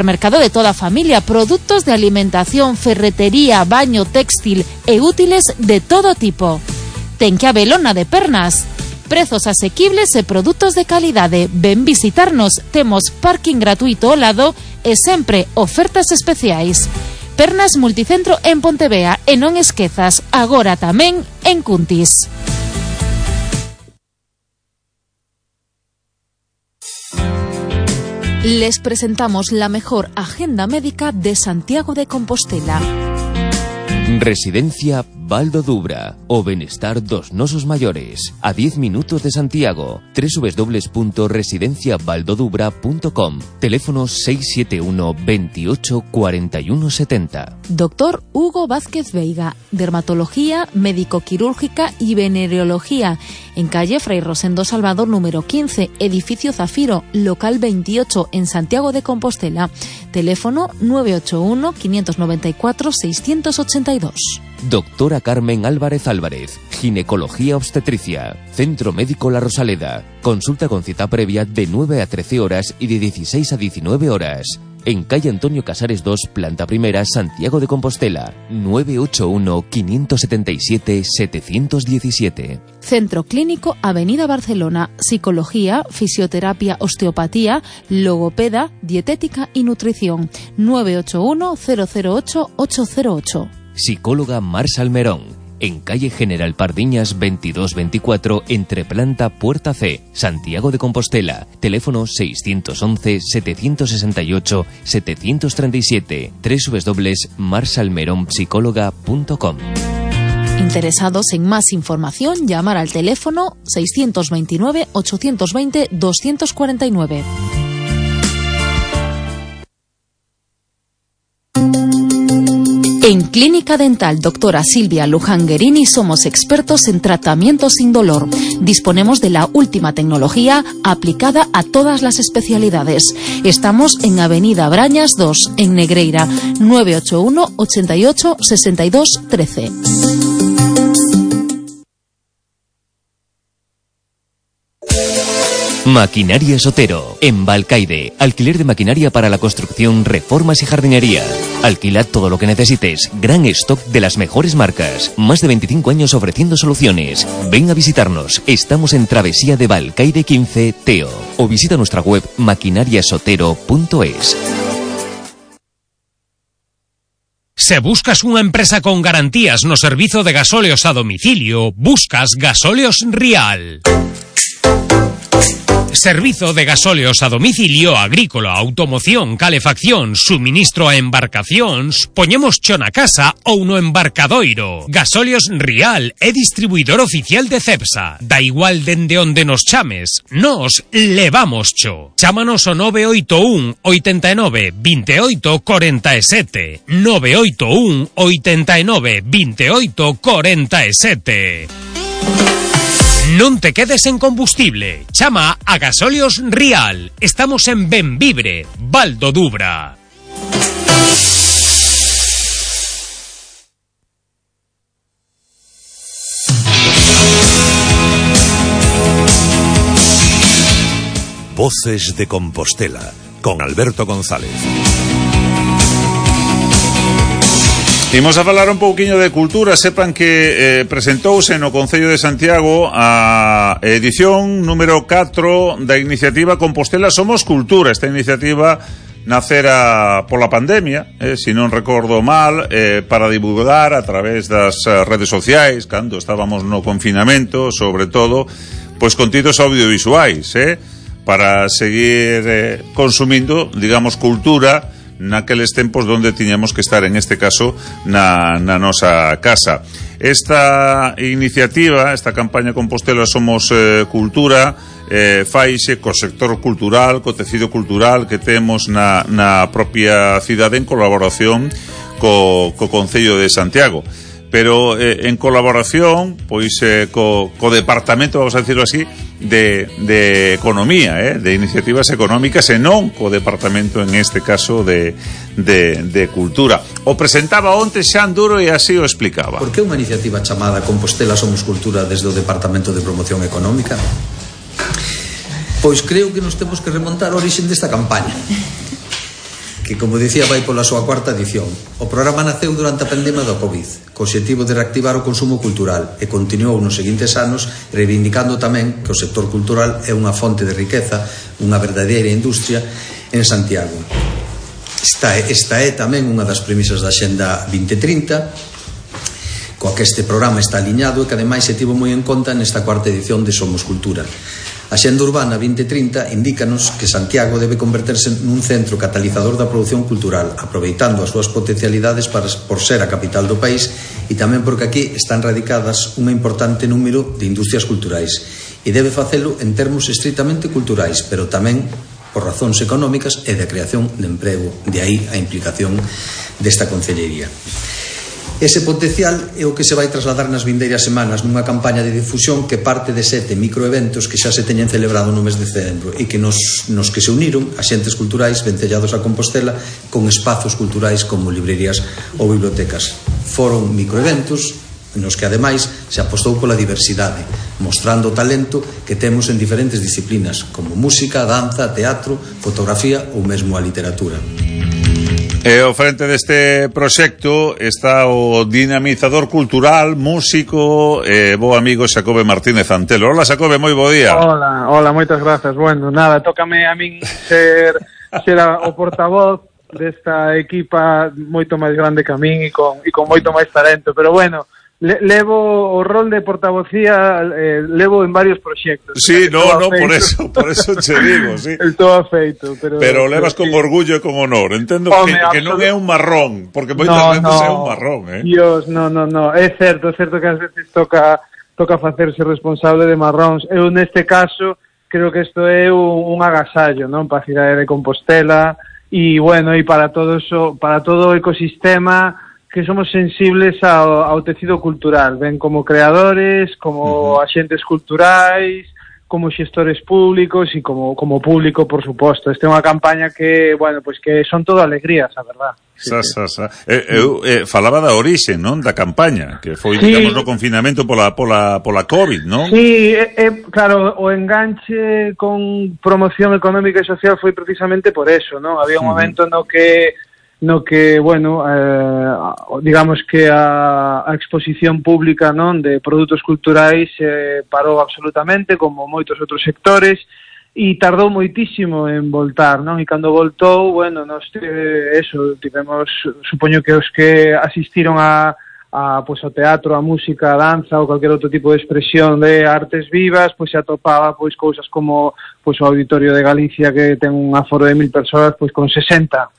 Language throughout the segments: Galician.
Mercado de toda a familia, produtos de alimentación, ferretería, baño, téxtil e útiles de todo tipo. Ten que habelo na de Pernas. Prezos asequibles e produtos de calidade. Ven visitarnos, temos parking gratuito ao lado e sempre ofertas especiais. Pernas Multicentro en Pontevea e non esquezas, agora tamén en Cuntis. Les presentamos la mejor agenda médica de Santiago de Compostela. Residencia Val do Dubra, o benestar dos nosos maiores, a 10 minutos de Santiago. www.residenciavaldodubra.com. Teléfono 671 28 41 70. Doctor Hugo Vázquez Veiga, dermatología, médico-quirúrgica y venereología, en calle Fray Rosendo Salvador número 15, edificio Zafiro, local 28, en Santiago de Compostela. Teléfono 981 594 682. Doctora Carmen Álvarez Álvarez, ginecología obstetricia, Centro Médico La Rosaleda. Consulta con cita previa de 9 a 13 horas y de 16 a 19 horas. En calle Antonio Casares 2, planta primera, Santiago de Compostela. 981 577 717. Centro Clínico Avenida Barcelona. Psicología, fisioterapia, osteopatía, logopeda, dietética y nutrición. 981 008 808. Psicóloga Mar Salmerón, en calle General Pardiñas 2224, entre planta Puerta C, Santiago de Compostela. Teléfono 611 768 737. www.marsalmeronpsicóloga.com. Interesados en más información, llamar al teléfono 629 820 249. En Clínica Dental Doctora Silvia Luján Guerini somos expertos en tratamiento sin dolor. Disponemos de la última tecnología aplicada a todas las especialidades. Estamos en Avenida Brañas 2, en Negreira, 981 88 62 13. Maquinaria Sotero, en Valcaide. Alquiler de maquinaria para la construcción, reformas y jardinería. Alquila todo lo que necesites. Gran stock de las mejores marcas. Más de 25 años ofreciendo soluciones. Ven a visitarnos. Estamos en Travesía de Valcaide 15, Teo. O visita nuestra web maquinariasotero.es. Se buscas unha empresa con garantías no servizo de gasóleos a domicilio, buscas Gasóleos Rial. Servizo de gasóleos a domicilio, agrícola, automoción, calefacción, suministro a embarcacións, poñemos cho na casa ou no embarcadoiro. Gasóleos Rial é distribuidor oficial de Cepsa. Da igual dende onde nos chames, nos levamos cho. Chámanos o 981 89 28 47. 981 89 28 47. Non te quedes en combustible. Chama a Gasóleos Rial. Estamos en Benvibre, Val do Dubra. Voces de Compostela, con Alberto González. Imos a falar un pouquiño de cultura. Sepan que presentouse no Concello de Santiago a edición número 4 da iniciativa Compostela Somos Cultura. Esta iniciativa nacera pola pandemia, se non recordo mal, para divulgar a través das redes sociais, cando estábamos no confinamento, sobre todo, pois contidos audiovisuais, para seguir consumindo, digamos, cultura naqueles tempos donde tiñamos que estar, en este caso, na nosa casa. Esta iniciativa, esta campaña Compostela Somos Cultura, faixe co sector cultural, co tecido cultural que temos na propia cidade, en colaboración co Concello de Santiago. Pero en colaboración, pois, co departamento, vamos a decirlo así, de economía, de iniciativas económicas, e non co departamento, en este caso, de cultura. O presentaba onte Xan Duro e así o explicaba. Por que unha iniciativa chamada Compostela Somos Cultura desde o Departamento de Promoción Económica? Pois creo que nos temos que remontar a orixen desta campaña, que, como dicía, vai pola súa cuarta edición. O programa naceu durante a pandemia do COVID, co obxectivo de reactivar o consumo cultural, e continuou nos seguintes anos reivindicando tamén que o sector cultural é unha fonte de riqueza, unha verdadeira industria en Santiago. Esta é tamén unha das premisas da Axenda 2030, coa que este programa está aliñado e que ademais se tivo moi en conta nesta cuarta edición de Somos Cultura. A Axenda Urbana 2030 indícanos que Santiago debe converterse nun centro catalizador da produción cultural, aproveitando as súas potencialidades por ser a capital do país e tamén porque aquí están radicadas un importante número de industrias culturais, e debe facelo en termos estritamente culturais, pero tamén por razóns económicas e de creación de emprego, de aí a implicación desta concellería. Ese potencial é o que se vai trasladar nas vindeiras semanas nunha campaña de difusión que parte de 7 microeventos que xa se teñen celebrado no mes de setembro e que nos que se uniron axentes culturais vencellados a Compostela con espazos culturais como librerías ou bibliotecas. Foron microeventos nos que ademais se apostou pola diversidade, mostrando o talento que temos en diferentes disciplinas como música, danza, teatro, fotografía ou mesmo a literatura. E ao frente deste proxecto está o dinamizador cultural, músico e bo amigo Xacobe Martínez Antelo. Hola Xacobe, moi bo día. Hola, moitas grazas. Bueno, nada, tócame a min ser o portavoz desta equipa moito máis grande que a min e con moito máis talento, pero bueno, levo o rol de portavocía, levo en varios proxectos. Sí, por eso che digo, sí. Estou afeito, pero levas con orgullo e con honor. Entendo que non é un marrón, porque moitas veces é un marrón, Dios, no. É certo que ás veces toca facerse responsable de marróns. Eu neste caso creo que isto é un agasallo, non, para a cidade de Compostela e bueno, e para todo o ecosistema que somos sensibles ao tecido cultural, ben como creadores, como axentes culturais, como xestores públicos e como público, por suposto. Esta é unha campaña que, bueno, pois que son todo alegrías, a verdad. Eu falaba da orixe, non, da campaña, que foi, digamos, no confinamento pola COVID, non? Sí, claro, o enganche con promoción económica e social foi precisamente por eso, non? Había un momento no que bueno, digamos que a exposición pública, non, de produtos culturais parou absolutamente, como moitos outros sectores, e tardou moitísimo en voltar, non? E cando voltou, bueno, nós tivemos, supoño que os que asistiron pois ao teatro, a música, a danza ou calquer outro tipo de expresión de artes vivas, pois se atopaba pois cousas como pois o Auditorio de Galicia, que ten un aforo de 1000 persoas, pois con 60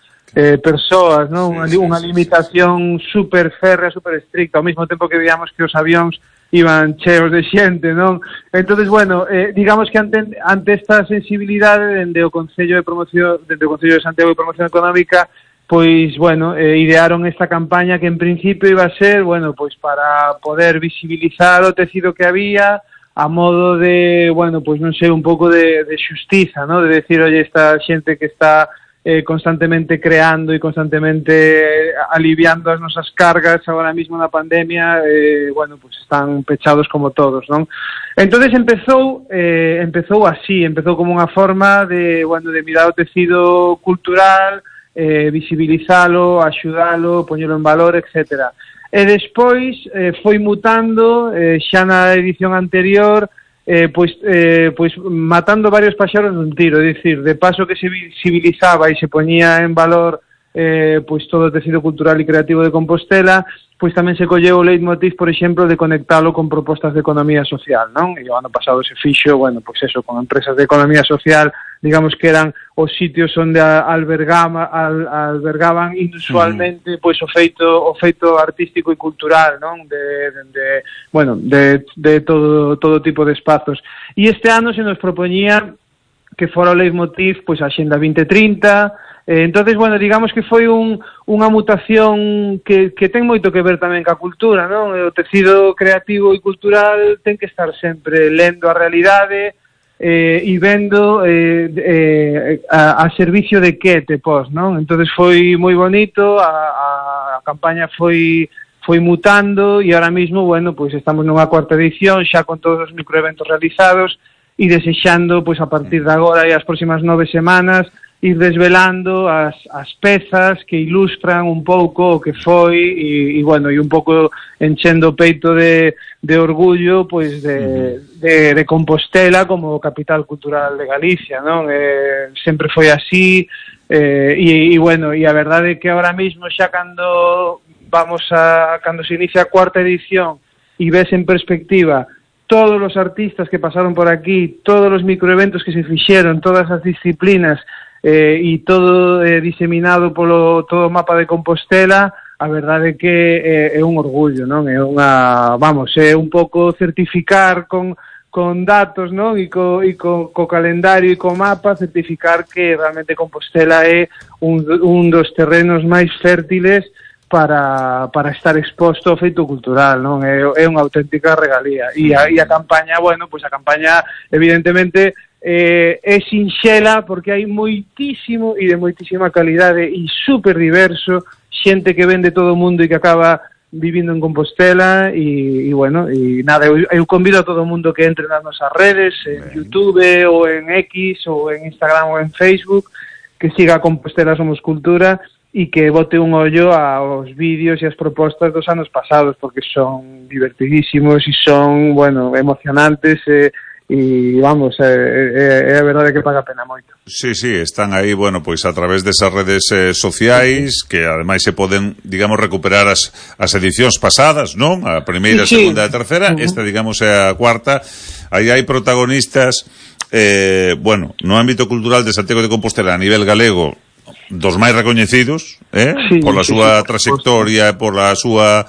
persoas, non? Unha limitación super férrea, super estricta, ao mesmo tempo que veíamos que os avións iban cheos de xente, non? Entonces, bueno, digamos que ante esta sensibilidade dende o Concello de Santiago de Promoción Económica, pois, bueno, idearon esta campaña que en principio iba a ser, bueno, pois para poder visibilizar o tecido que había a modo de, bueno, pois non sei, un pouco de xustiza, non? De decir, oye, esta xente que está constantemente creando e constantemente aliviando as nosas cargas agora mesmo na pandemia, bueno, pues están pechados como todos, non? Entonces empezou así, empezou como unha forma de, bueno, de mirar o tecido cultural, visibilizalo, axudalo, poñelo en valor, etcétera. E despois foi mutando, xa na edición anterior, pois matando varios paxaros nun tiro, é dicir, de paso que se visibilizaba e se poñía en valor pois todo o tecido cultural e creativo de Compostela, pois tamén se colleu o leitmotiv, por exemplo, de conectalo con propostas de economía social, non? E o ano pasado se fixo, bueno, pois eso, con empresas de economía social, digamos que eran os sitios onde albergaban inusualmente pois o feito artístico e cultural, non? De todo tipo de espazos. E este ano se nos propoñía que fora o leitmotiv pois a Axenda 2030. Entonces, bueno, digamos que foi unha mutación que ten moito que ver tamén ca cultura, non? O tecido creativo e cultural ten que estar sempre lendo a realidade e vendo a servicio de que te pos, non? Entonces foi moi bonito, a campaña foi mutando e ahora mismo, bueno, pois estamos nunha cuarta edición xa con todos os microeventos realizados e desexando, pois a partir de agora e as próximas 9 semanas ir desvelando as pezas que ilustran un pouco o que foi e bueno, e un pouco enchendo o peito de orgullo pois de Compostela como capital cultural de Galicia, non? Sempre foi así e bueno, e a verdade é que ahora mismo xa cando se inicia a cuarta edición e ves en perspectiva todos os artistas que pasaron por aquí, todos os microeventos que se fixeron, todas as disciplinas e todo diseminado polo todo o mapa de Compostela, a verdade é que é un orgullo, non? É é un pouco certificar con datos, non? E co calendario e co mapa certificar que realmente Compostela é un dos terrenos máis fértiles para estar exposto ao feito cultural, non? É unha auténtica regalía. E a campaña, bueno, pois a campaña evidentemente é sinxela porque hai moitísimo e de moitísima calidade e super diverso, xente que ven de todo o mundo e que acaba vivindo en Compostela e bueno, e nada, eu convido a todo o mundo que entre nas nosas redes, en YouTube ou en X ou en Instagram ou en Facebook, que siga Compostela Somos Cultura e que bote un ollo aos vídeos e as propostas dos anos pasados porque son divertidísimos e son, bueno, emocionantes e vamos, é a verdade que paga a pena moito. Sí, están aí, bueno, pois a través desas redes sociais que ademais se poden, digamos, recuperar as edicións pasadas, non? A primeira, a segunda e a terceira, esta, digamos, é a cuarta. Aí hai protagonistas bueno, no ámbito cultural de Santiago de Compostela a nivel galego dos máis recoñecidos, pola súa trayectoria e pola súa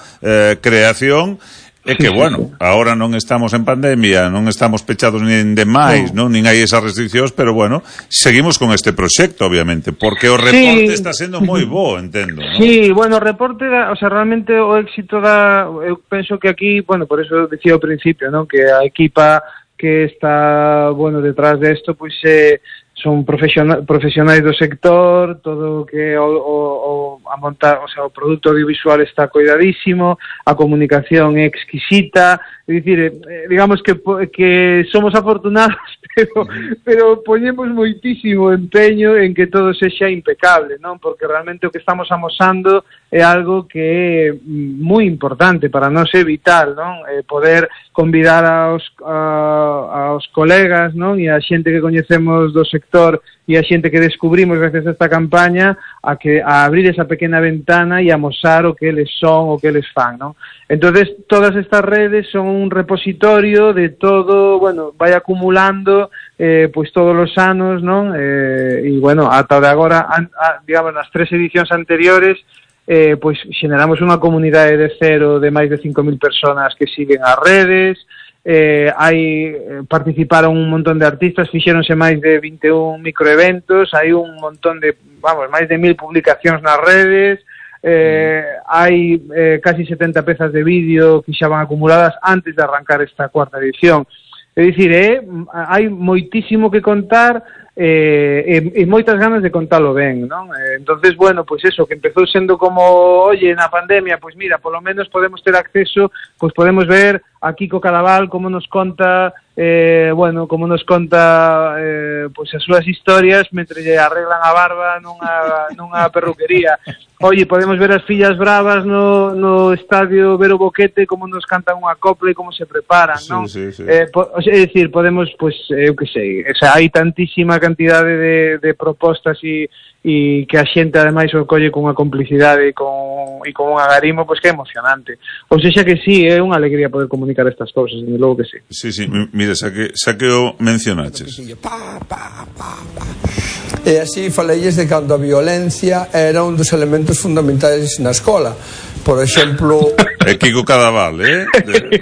creación. É que, bueno, agora non estamos en pandemia, non estamos pechados nin demais, non? Nin hai esas restriccións, pero, bueno, seguimos con este proxecto, obviamente, porque o reporte está sendo moi bo, entendo, non? Sí, bueno, o reporte, o sea, realmente o éxito eu penso que aquí, bueno, por eso decía ao principio, non? Que a equipa que está, bueno, detrás de esto, pois son profesionais do sector, todo o que a montar, o sea, o produto audiovisual está cuidadísimo, a comunicación é exquisita, é dicir, digamos que somos afortunados, pero poñemos moitísimo empeño en que todo sexa impecable, non? Porque realmente o que estamos amosando é algo que é moi importante para nós, é vital, non? Poder convidar aos colegas, non? E a xente que coñecemos do sector e a xente que descubrimos gracias a esta campaña a abrir esa pequena ventana e a mostrar o que eles son, o que eles fan, non? Entonces, todas estas redes son un repositorio de todo, bueno, vai acumulando pois todos os anos, non? E, bueno, ata de agora, digamos, nas 3 edicións anteriores, pois xeneramos unha comunidade de cero de máis de 5.000 personas que siguen as redes, participaron un montón de artistas, fixéronse máis de 21 microeventos, hai un montón de, vamos, máis de 1.000 publicacións nas redes, hai casi 70 pezas de vídeo que xa van acumuladas antes de arrancar esta cuarta edición. É dicir, hai moitísimo que contar e moitas ganas de contalo ben, non? Entonces, bueno, pois eso, que empezou sendo como, oye, na pandemia, pois mira, polo menos podemos ter acceso, pois podemos ver a Kiko Cadaval como nos conta, bueno, como nos conta pois as súas historias mentre lle arreglan a barba nunha perruquería. Oye, podemos ver as fillas bravas no estadio Vero Boquete como nos cantan unha copla e como se preparan, non? Sí. É dicir, podemos, pois, eu que sei, o sea, hai tantísima cantidade de propostas e que a xente ademais o colle con unha complicidade e con un agarimo, pois que é emocionante. Ou seja que sí, é unha alegría poder comunicar estas cousas, desde logo que sí. Sí, mire, xa que o mencionaches. E así falelles de cando a violencia era un dos elementos fundamentais na escola. Por exemplo... Kiko Cadaval,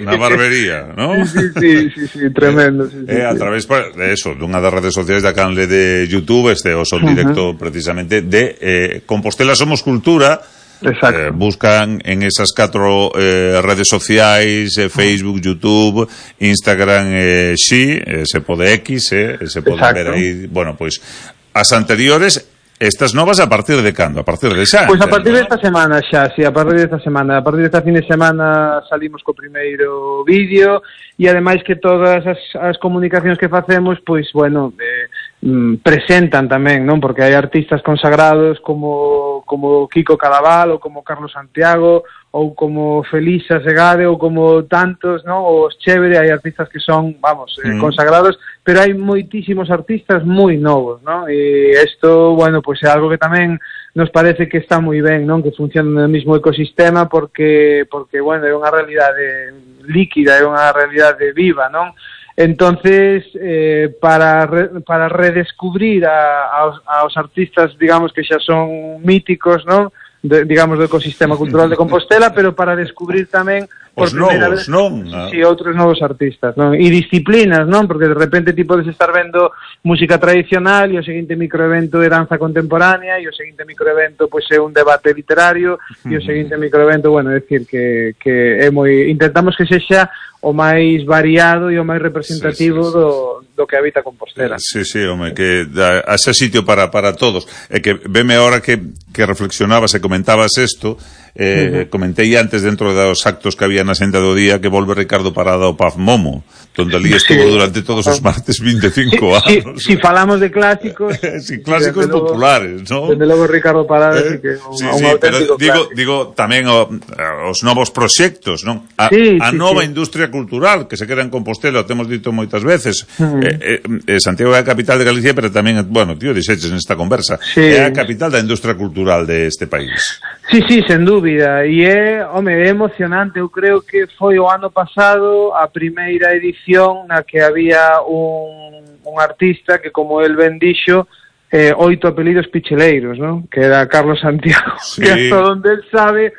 na barbería, ¿no? Sí, tremendo. A través de eso, dunha das redes sociais da canle de YouTube, o son directo precisamente de Compostela Somos Cultura. Exacto. Buscan en esas 4 redes sociais, Facebook, YouTube, Instagram, se pode X, se pode ver aí, bueno, pois as anteriores. Estas novas a partir de cando? A partir de xa? Pois a partir desta semana xa, sí, a partir desta semana. A partir desta fin de semana salimos co primeiro vídeo e ademais que todas as comunicacións que facemos, pois, bueno, presentan tamén, non? Porque hai artistas consagrados como Kiko Cadaval ou como Carlos Santiago ou como Felisa Segade ou como tantos, non? Ou os Chévere, hai artistas que son, consagrados, pero hai moitísimos artistas moi novos, non? E isto, bueno, pois é algo que tamén nos parece que está moi ben, non? Que funciona no mesmo ecosistema porque bueno, é unha realidade líquida, é unha realidade viva, non? Entonces, para redescubrir aos artistas, digamos, que xa son míticos, non? Digamos, do ecosistema cultural de Compostela, pero para descubrir tamén os novos, non? Si, outros novos artistas, non? E disciplinas, non? Porque de repente ti podes estar vendo música tradicional e o seguinte microevento é danza contemporánea e o seguinte microevento pois é un debate literario e o seguinte microevento, bueno, é dicir que é moi... Intentamos que sexa o máis variado e o máis representativo do que habita Compostela. Sí, home, que haxa sitio para todos. É que veme ahora que reflexionabas e comentabas isto, comentei antes dentro dos actos que había na senda do día que volve Ricardo Parada ao Paz Momo, donde ali estuvo durante todos os martes 25 anos. Si falamos de clásicos... clásicos populares, non? Desde logo Ricardo Parada que é un auténtico clásico. Digo tamén os novos proxectos, non? A nova industria cultural que se queda en Compostela, temos dito moitas veces. Santiago é a capital de Galicia, pero tamén, bueno, tío, dixeches nesta conversa, é a capital da industria cultural deste país. Sí, sen dúbida, e é emocionante. Eu creo que foi o ano pasado a primeira edición na que había un artista que, como el ben dixo, 8 apelidos picheleiros, non? Que era Carlos Santiago, que hasta donde él sabe,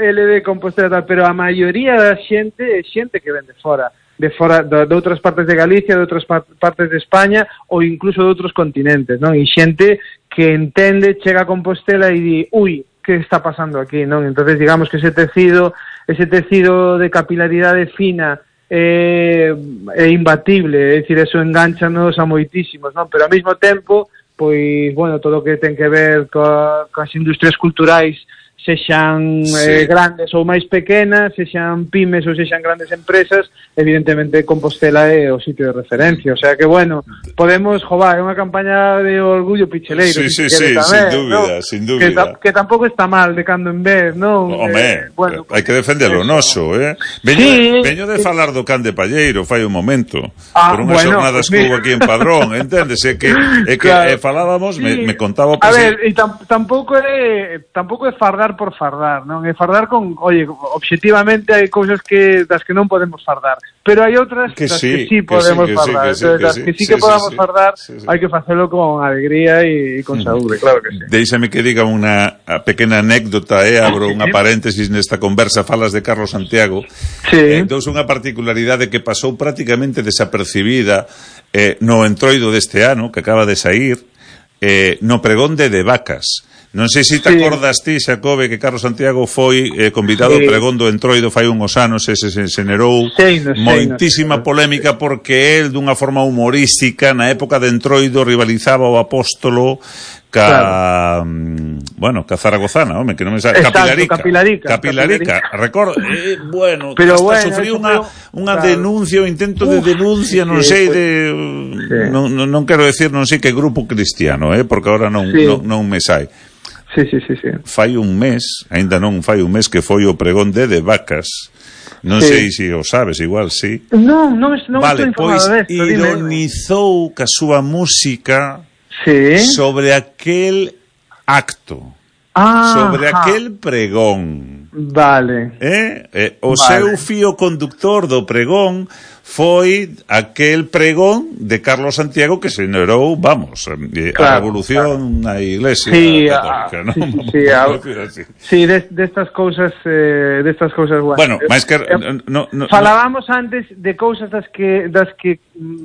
ele de Compostela, pero a maioría da xente é xente que ven de fora de outras partes de Galicia, de outras partes de España ou incluso de outros continentes, non? E xente que entende, chega a Compostela e di, ui, que está pasando aquí, non? Entonces, digamos que ese tecido de capilaridade fina é imbatible, é dicir, eso engánchanos a moitísimos, non? Pero ao mesmo tempo, pois, bueno, todo o que ten que ver coas industrias culturais, sexan grandes ou máis pequenas, sexan pymes ou sexan grandes empresas, evidentemente Compostela é o sitio de referencia. O sea que, bueno, podemos jovar, é unha campaña de orgullo picheleiro. Sí, tamén, sin dúbida. Que tampouco está mal de cando en vez, non? Home, bueno, hai que defender o noso, Veño de falar do can de Palleiro fai un momento, por unhas xornadas que houve aquí en Padrón, enténdese que falábamos, me contaba... A ver, e tampouco é fardar por fardar, non? É fardar con, obxectivamente hai cousas das que non podemos fardar, pero hai outras das que sí podemos fardar. Das que sí que podamos fardar, hai que facelo con alegría e con saúde, claro que sí. Déixame que diga unha pequena anécdota, abro unha paréntesis nesta conversa, falas de Carlos Santiago. Dous unha particularidade que pasou prácticamente desapercibida no entroido deste ano, que acaba de sair, no pregón de Vacas. Non sei se te acordas ti, Xacobe, que Carlos Santiago foi convidado ao pregón do Entroido fai uns anos e se generou moitísima polémica porque el, dunha forma humorística, na época de Entroido rivalizaba o Apóstolo ca Zaragozana, home, que non me sabe, Capilarica. Recordo, bueno, pero hasta sufriu unha denuncia, un intento de denuncia, non sei non quero decir, non sei que grupo cristiano, porque agora non me sai. Sí. Fai un mes, aínda non fai un mes que foi o pregón de Vacas. Non sei se o sabes, igual sí. Non vale, pois ironizou ca súa música sobre aquel acto, sobre aquel pregón. Vale. O seu fío conductor do pregón foi aquel pregón de Carlos Santiago que generou, a revolución na Iglesia católica, non? Sí, destas cousas bueno, máis que falábamos antes de cousas das que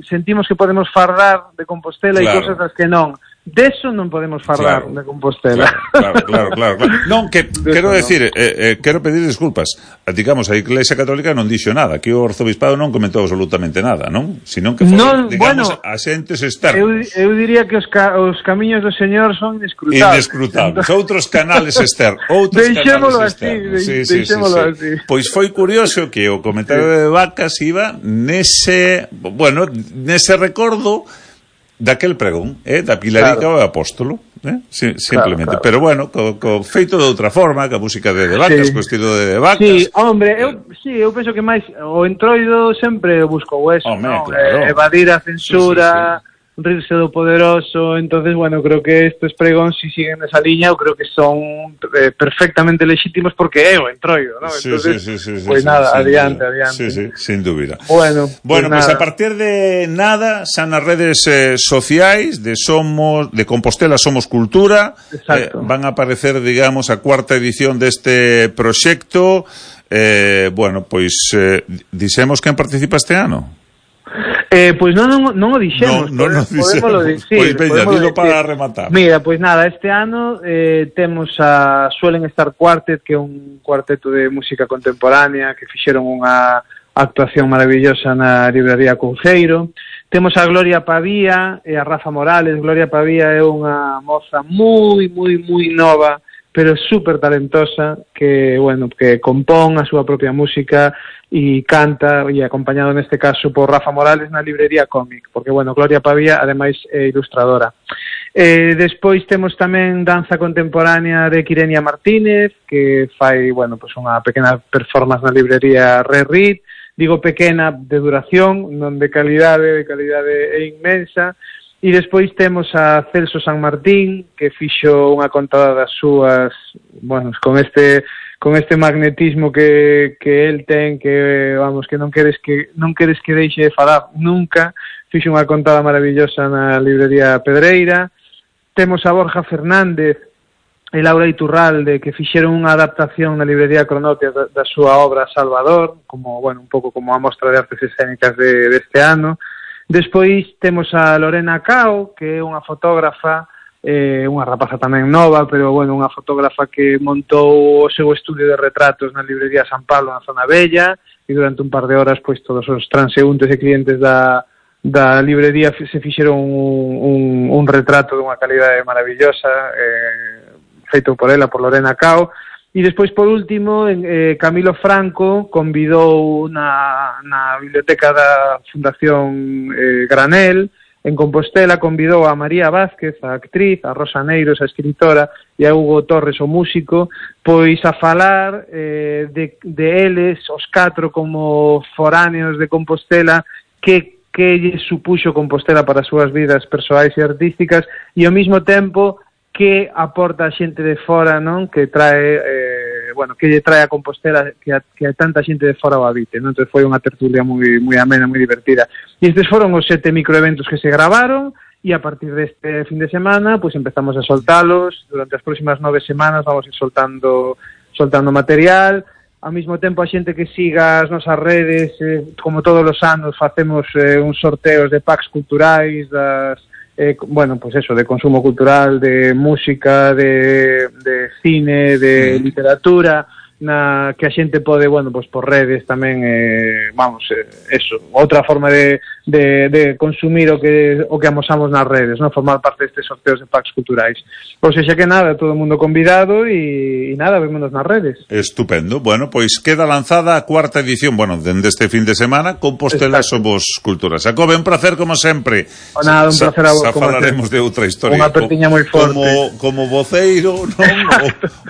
sentimos que podemos fardar de Compostela e cousas das que non. Deso non podemos falar de Compostela. Claro. Non, que quero decir, quero pedir disculpas. Digamos, a Iglesia Católica non dixo nada, que o Arzobispado non comentou absolutamente nada, non? Senón que foi, digamos, asentes externos. Eu diría que os camiños do Señor son inescrutables. Outros canales externos. Deixémolo así. Pois foi curioso que o comentario de Vacas iba nese recordo daquel pregón, da Pilarica ao Apóstolo, simplemente. Claro. Pero bueno, feito de outra forma, ca música de Vacas, co estilo de Vacas. Sí, hombre, eu penso que máis o Entroido sempre buscou eso, ¿no? Claro. Evadir a censura, rirse do poderoso. Entonces, bueno, creo que estes pregóns, si siguen esa liña, eu creo que son perfectamente legítimos porque é o Entroido, ¿no? Entonces, pues nada, adiante. Sí, sin dúbida. Bueno, pues a partir de nada, xa nas redes sociais de Compostela Somos Cultura, van a aparecer, digamos, a cuarta edición deste proxecto. Bueno, pois dixemos quen participa este ano? Pois non o dixemos, podémoslo dicir. Pois veña, dilo para rematar. Mira, pois nada, este ano temos Suelen Estar Quartet, que é un cuarteto de música contemporánea que fixeron unha actuación maravillosa na librería Couceiro. Temos a Gloria Pavía e a Rafa Morales. Gloria Pavía é unha moza moi nova, pero super talentosa, que, bueno, que compón a súa propia música e canta, e acompañado neste caso por Rafa Morales na librería Cómic, porque, bueno, Gloria Pavía, ademais, é ilustradora. Despois temos tamén danza contemporánea de Quirenia Martínez, que fai, bueno, pues unha pequena performance na librería Rerit, digo pequena de duración, non de calidade é inmensa. E despois temos a Celso San Martín, que fixo unha contada das súas, bueno, con este magnetismo que el ten, que, vamos, que non queres que deixe de falar nunca. Fixo unha contada maravillosa na librería Pedreira. Temos a Borja Fernández e Laura Iturralde, que fixeron unha adaptación na librería Cronopia da súa obra Salvador, como, bueno, un pouco como a mostra de artes escénicas deste ano. Despois temos a Lorena Cao, que é unha fotógrafa, unha rapaza tamén nova, pero, bueno, unha fotógrafa que montou o seu estudio de retratos na librería San Pablo, na Zona Bella, e durante un par de horas, pois, todos os transeúntes e clientes da librería se fixeron un retrato dunha calidade maravillosa, feito por ela, por Lorena Cao. E despois, por último, Camilo Franco convidou na biblioteca da Fundación Granel, en Compostela, convidou a María Vázquez, a actriz, a Rosa Neiros, a escritora, e a Hugo Torres, o músico, pois a falar de eles, os 4 como foráneos de Compostela, que lle supuxo Compostela para as súas vidas persoais e artísticas, e ao mesmo tempo que aporta a xente de fora, non? Que trae, que lle trae a Compostela que a tanta xente de fora o habite, non? Entón foi unha tertulia moi amena, moi divertida. E estes foron os 7 microeventos que se gravaron, e a partir deste fin de semana, pois empezamos a soltalos. Durante as próximas 9 semanas vamos ir soltando material. Ao mesmo tempo, a xente que siga as nosas redes, como todos os anos, facemos uns sorteos de packs culturais, bueno, pues eso, de consumo cultural, de música, de cine, de literatura, que a xente pode, bueno, pues por redes tamén, eso, outra forma de consumir o que amosamos nas redes, non? Formar parte destes sorteos de packs culturais. Ou seja que nada, todo o mundo convidado e nada, vémonos nas redes. Estupendo. Bueno, pois queda lanzada a cuarta edición, bueno, dende este fin de semana, Compostela Somos Cultura. Jacobe, un placer como sempre. Nada, un placer a vos. Xa falaremos de outra historia. Unha pertiña moi forte. Como voceiro, non?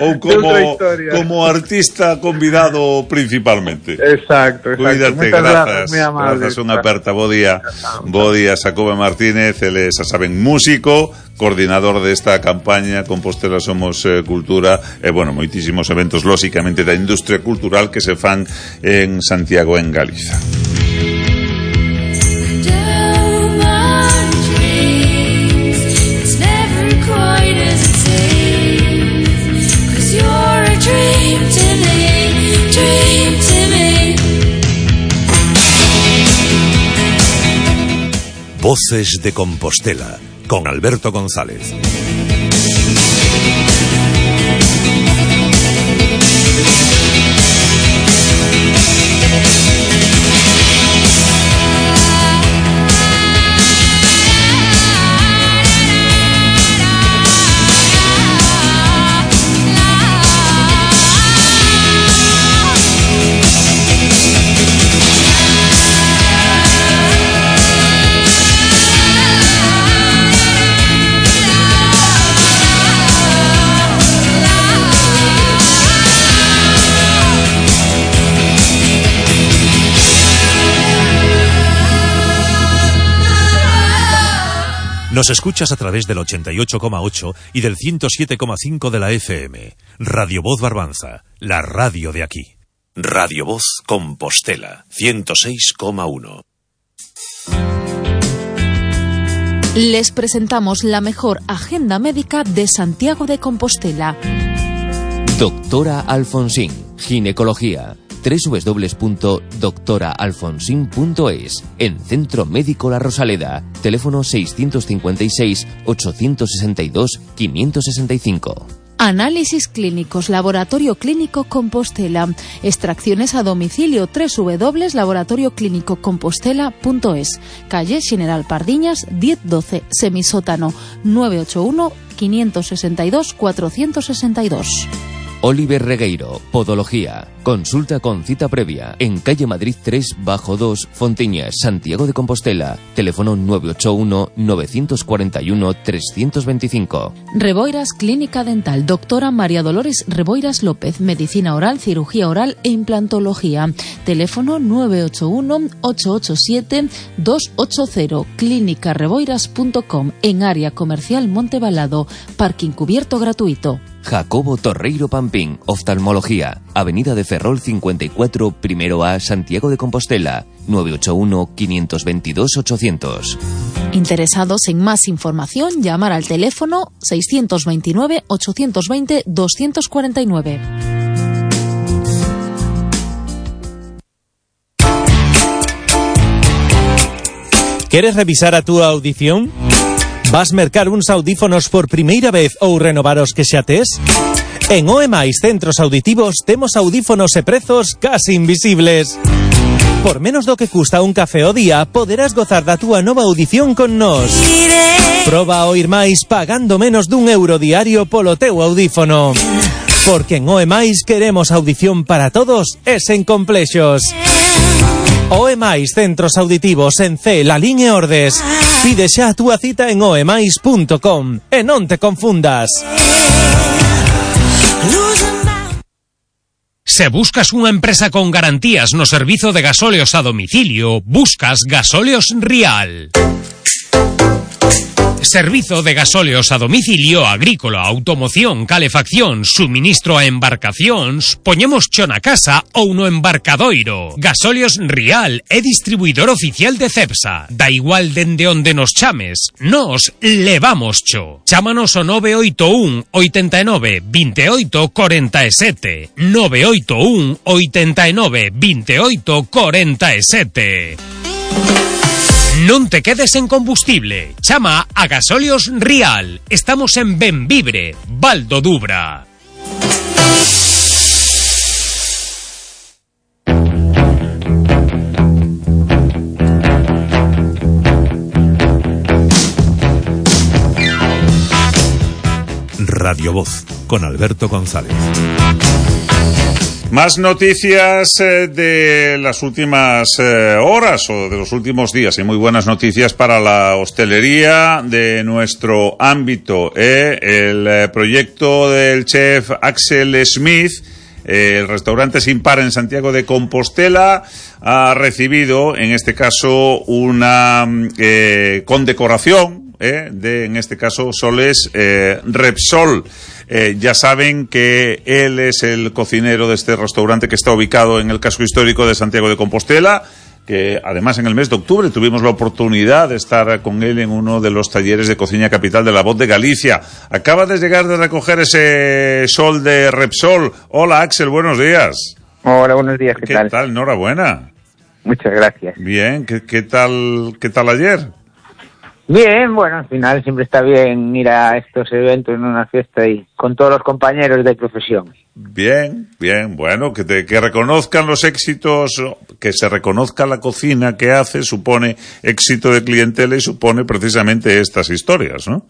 ou como artista convidado principalmente. Exacto. Cuídate, grazas, unha aperta. Bo día, Jacobe Martínez, ele, xa saben, músico, coordinador desta campaña Compostela Somos Cultura, e, bueno, moitísimos eventos, lóxicamente, da industria cultural que se fan en Santiago, en Galiza. Voces de Compostela, con Alberto González. Nos escuchas a través del 88,8 y del 107,5 de la FM. Radio Voz Barbanza, la radio de aquí. Radio Voz Compostela, 106,1. Les presentamos la mejor agenda médica de Santiago de Compostela. Doctora Alfonsín, ginecología. www.doctoraalfonsin.es. En Centro Médico La Rosaleda. Teléfono 656 862 565. Análisis clínicos, Laboratorio Clínico Compostela. Extracciones a domicilio, www.laboratorioclinicocompostela.es. Calle General Pardiñas, 1012, semisótano, 981 562 462. Oliver Regueiro, Podología. Consulta con cita previa en calle Madrid 3-2, Fontiñas, Santiago de Compostela. Teléfono 981-941-325. Reboiras Clínica Dental, doctora María Dolores Reboiras López. Medicina oral, cirugía oral e implantología. Teléfono 981-887-280. Clínicareboiras.com. En área comercial Montebalado. Parking cubierto gratuito. Jacobo Torreiro Pampín, Oftalmología. Avenida de Ferrol 54, primero A, Santiago de Compostela. 981-522-800. Interesados en más información, llamar al teléfono 629-820-249. ¿Quieres revisar a tu audición? Vas mercar uns audífonos por primeira vez ou renovar os que xa tes? En OEMAIS Centros Auditivos temos audífonos e prezos casi invisibles. Por menos do que custa un café ao día, poderás gozar da túa nova audición con nós. Proba a oír máis pagando menos d€1 diario polo teu audífono. Porque en OEMAIS queremos audición para todos e sen complexos. OEMAIS Centros Auditivos en C, Lalín e Ordes. Pide xa a túa cita en oemais.com e non te confundas. Se buscas unha empresa con garantías no servizo de gasóleos a domicilio, buscas Gasóleos Rial. Servizo de gasóleos a domicilio agrícola, automoción, calefacción, suministro a embarcacións, poñemos cho na casa ou no embarcadoiro. Gasóleos Rial é distribuidor oficial de Cepsa. Da igual dende onde nos chames, nos levamos cho. Chámanos ao 981 89 28 47. 981 89 28 47. Non te quedes en combustible. Chama a Gasóleos Rial. Estamos en Benvibre, Val do Dubra. Radio Voz, con Alberto González. Más noticias de las últimas horas o de los últimos días, y muy buenas noticias para la hostelería de nuestro ámbito. El proyecto del chef Axel Smith, el restaurante Sin Par en Santiago de Compostela, ha recibido, en este caso, una condecoración en este caso, Soles Repsol. Ya saben que él es el cocinero de este restaurante que está ubicado en el casco histórico de Santiago de Compostela, que además en el mes de octubre tuvimos la oportunidad de estar con él en uno de los talleres de cocina capital de La Voz de Galicia. Acaba de llegar de recoger ese Sol de Repsol. Hola, Axel, buenos días. Hola, buenos días, ¿qué tal? ¿Qué tal? Enhorabuena. Muchas gracias. Bien, ¿qué tal ayer? Bien, bueno, al final siempre está bien ir a estos eventos en una fiesta y con todos los compañeros de profesión. Bien, bueno, que reconozcan los éxitos, que se reconozca la cocina que hace, supone éxito de clientela y supone precisamente estas historias, ¿no?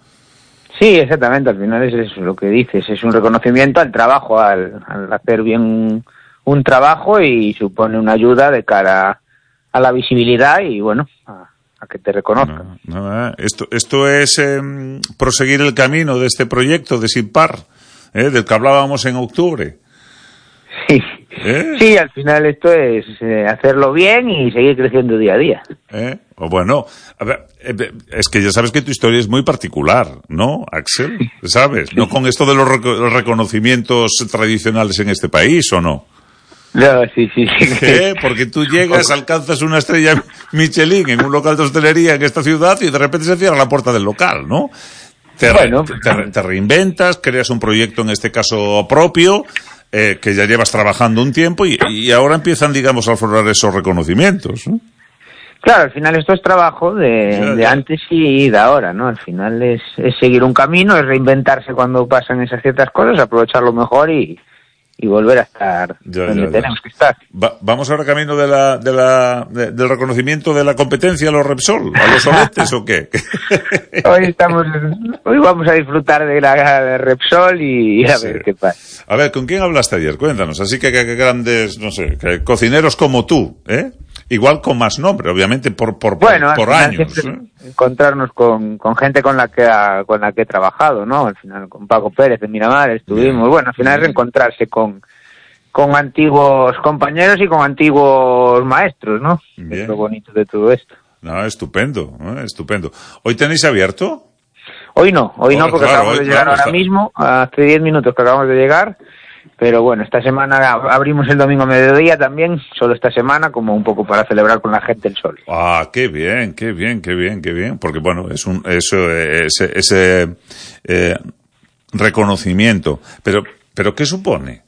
Sí, exactamente, al final es eso lo que dices, es un reconocimiento al trabajo, al hacer bien un trabajo, y supone una ayuda de cara a la visibilidad y bueno, a que te reconozcan. Esto es proseguir el camino de este proyecto de Sin Par, del que hablábamos en octubre. Sí. Sí, al final esto es hacerlo bien y seguir creciendo día a día. Bueno, a ver, es que ya sabes que tu historia es muy particular, ¿no, Axel? ¿Sabes? No con esto de los reconocimientos tradicionales en este país, ¿o no? No, sí. Porque tú llegas, alcanzas una estrella Michelin en un local de hostelería en esta ciudad y de repente se cierra la puerta del local, ¿no? Te reinventas, creas un proyecto, en este caso propio, que ya llevas trabajando un tiempo y ahora empiezan, digamos, a aflorar esos reconocimientos, ¿no? Claro, al final esto es trabajo de antes y de ahora, ¿no? Al final es seguir un camino, es reinventarse cuando pasan esas ciertas cosas, aprovecharlo mejor y volver a estar donde tenemos que estar. ¿Vamos ahora camino del reconocimiento de la competencia a los Repsol, a los soletes o qué? Hoy vamos a disfrutar de la Repsol y a ver qué pasa. A ver, ¿con quién hablaste ayer? Cuéntanos. Así que grandes, no sé, cocineros como tú, igual con más nombre, obviamente por años. Encontrarnos con gente con la que he trabajado, ¿no? Al final con Paco Pérez de Miramar estuvimos. Bueno, al final es reencontrarse con antiguos compañeros y con antiguos maestros, ¿no? Es lo bonito de todo esto. No, estupendo. ¿Hoy tenéis abierto? Hoy no, porque acabamos de llegar ahora mismo, hace 10 minutos que acabamos de llegar. Pero bueno, esta semana abrimos el domingo a mediodía también, solo esta semana, como un poco para celebrar con la gente el sol. Ah, qué bien. Porque bueno, ese reconocimiento. Pero ¿qué supone?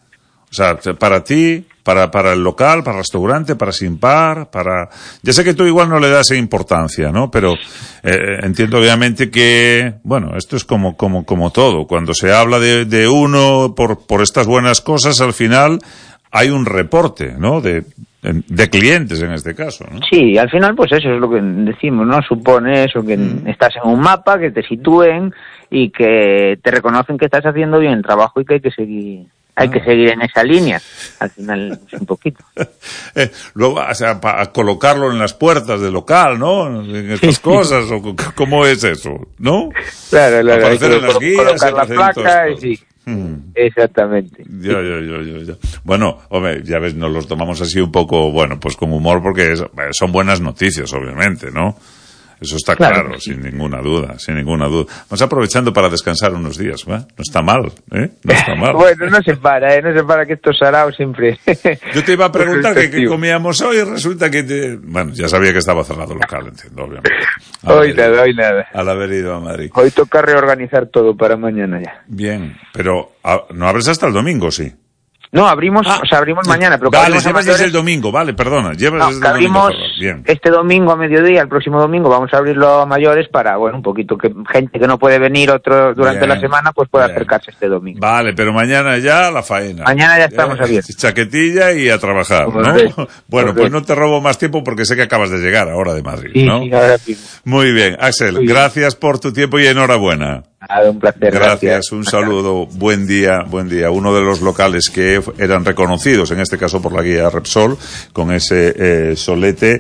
O sea, para ti, para el local, para el restaurante, para Simpar, ya sé que tú igual no le das importancia, ¿no? Pero entiendo obviamente que, bueno, esto es como todo. Cuando se habla de uno por estas buenas cosas, al final hay un reporte, ¿no? De clientes en este caso, ¿no? Sí, al final pues eso es lo que decimos, ¿no? Supone eso, que estás en un mapa, que te sitúen y que te reconocen que estás haciendo bien el trabajo y que hay que seguir. Hay que seguir en esa línea, al final es un poquito. Luego, o sea, para colocarlo en las puertas del local, ¿no? En estas cosas, o ¿cómo es eso? ¿No? Claro, aparecer en las guías, colocar la placa y sí. Exactamente. Ya. Bueno, hombre, ya ves, nos los tomamos así un poco, bueno, pues con humor, porque son buenas noticias, obviamente, ¿no? Eso está claro, sin ninguna duda. Vamos aprovechando para descansar unos días, ¿va? No está mal, ¿eh? No está mal. Bueno, no se para que esto sarao siempre. Yo te iba a preguntar qué comíamos hoy y resulta que bueno, ya sabía que estaba cerrado el local, entiendo, obviamente. Hoy nada. Al haber ido a Madrid. Hoy toca reorganizar todo para mañana ya. Bien, pero ¿no abres hasta el domingo, sí? No, abrimos mañana, pero vale, llevas desde el domingo, vale, perdona, llevas desde el domingo. Bien. Este domingo a mediodía, el próximo domingo vamos a abrirlo a mayores para, bueno, un poquito que gente que no puede venir durante la semana pues pueda acercarse este domingo. Vale, pero mañana ya la faena. Mañana ya estamos abiertos. Chaquetilla y a trabajar, ¿no? Bueno, pues no te robo más tiempo porque sé que acabas de llegar ahora de Madrid, ¿no? Sí, ahora mismo. Muy bien, Axel, gracias por tu tiempo y enhorabuena. Un placer. Gracias, un saludo, buen día. Uno de los locales que eran reconocidos, en este caso por la guía Repsol, con ese solete.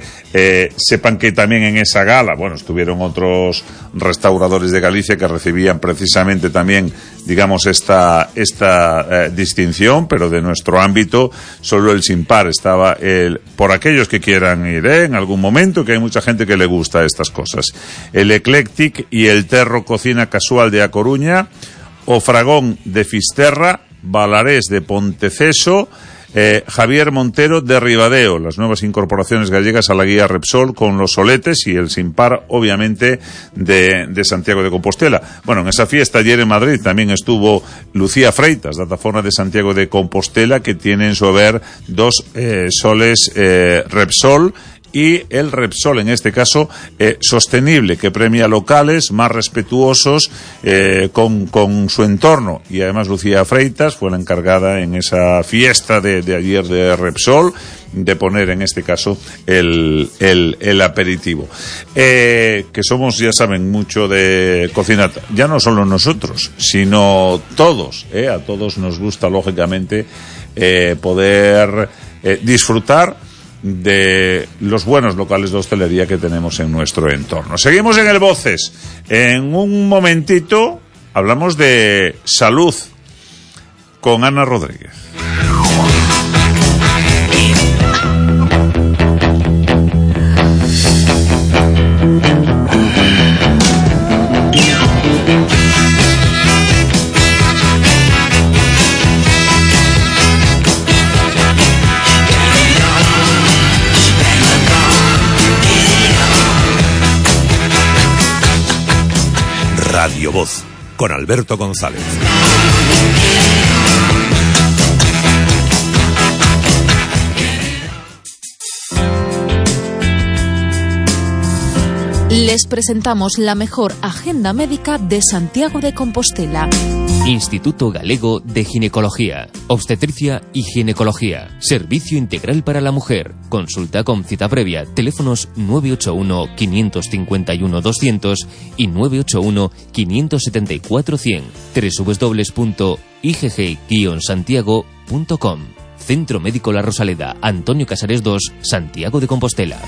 Sepan que también en esa gala, bueno, estuvieron otros restauradores de Galicia que recibían precisamente también, digamos, esta distinción, pero de nuestro ámbito, solo el Simpar estaba por aquellos que quieran ir, en algún momento, que hay mucha gente que le gusta estas cosas. El Eclectic y el Terro Cocina Casual de A Coruña, o Fragón de Fisterra, Balarés de Ponteceso, Javier Montero de Ribadeo, las nuevas incorporaciones gallegas a la guía Repsol con los soletes y el Simpar, obviamente, de Santiago de Compostela. Bueno, en esa fiesta ayer en Madrid también estuvo Lucía Freitas, datafona de Santiago de Compostela, que tiene en su haber 2 soles Repsol, y el Repsol, en este caso, sostenible, que premia locales más respetuosos con su entorno. Y además Lucía Freitas fue la encargada en esa fiesta de ayer de Repsol de poner, en este caso, el aperitivo. Que somos, ya saben, mucho de cocina, ya no solo nosotros, sino todos. A todos nos gusta, lógicamente, poder disfrutar de los buenos locales de hostelería que tenemos en nuestro entorno. Seguimos en el Voces. En un momentito hablamos de salud con Ana Rodríguez. Radio Voz, con Alberto González. Les presentamos la mejor agenda médica de Santiago de Compostela. Instituto Galego de Ginecología, Obstetricia y Ginecología. Servicio integral para la mujer. Consulta con cita previa. Teléfonos 981-551-200 y 981-574-100. www.igg-santiago.com. Centro Médico La Rosaleda, Antonio Casares 2, Santiago de Compostela.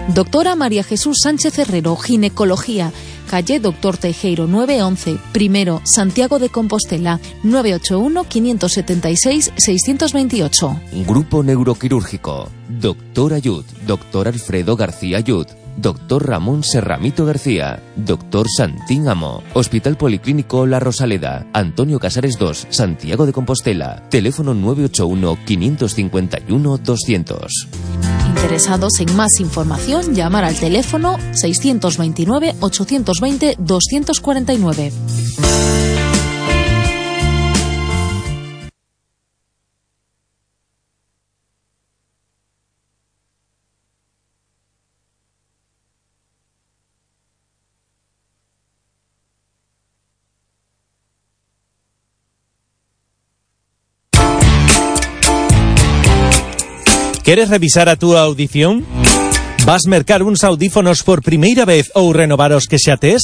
Doctora María Jesús Sánchez Herrero, Ginecología, calle Doctor Teijeiro 911, primero, Santiago de Compostela, 981-576-628. Grupo Neuroquirúrgico, Doctor Ayud, Doctor Alfredo García Ayud, Doctor Ramón Serramito García, Doctor Santín Amo, Hospital Policlínico La Rosaleda, Antonio Casares 2, Santiago de Compostela, teléfono 981-551-200. Interesados en más información, llamar al teléfono 629-820-249. Queres revisar a túa audición? Vas mercar uns audífonos por primeira vez ou renovar os que xa tes?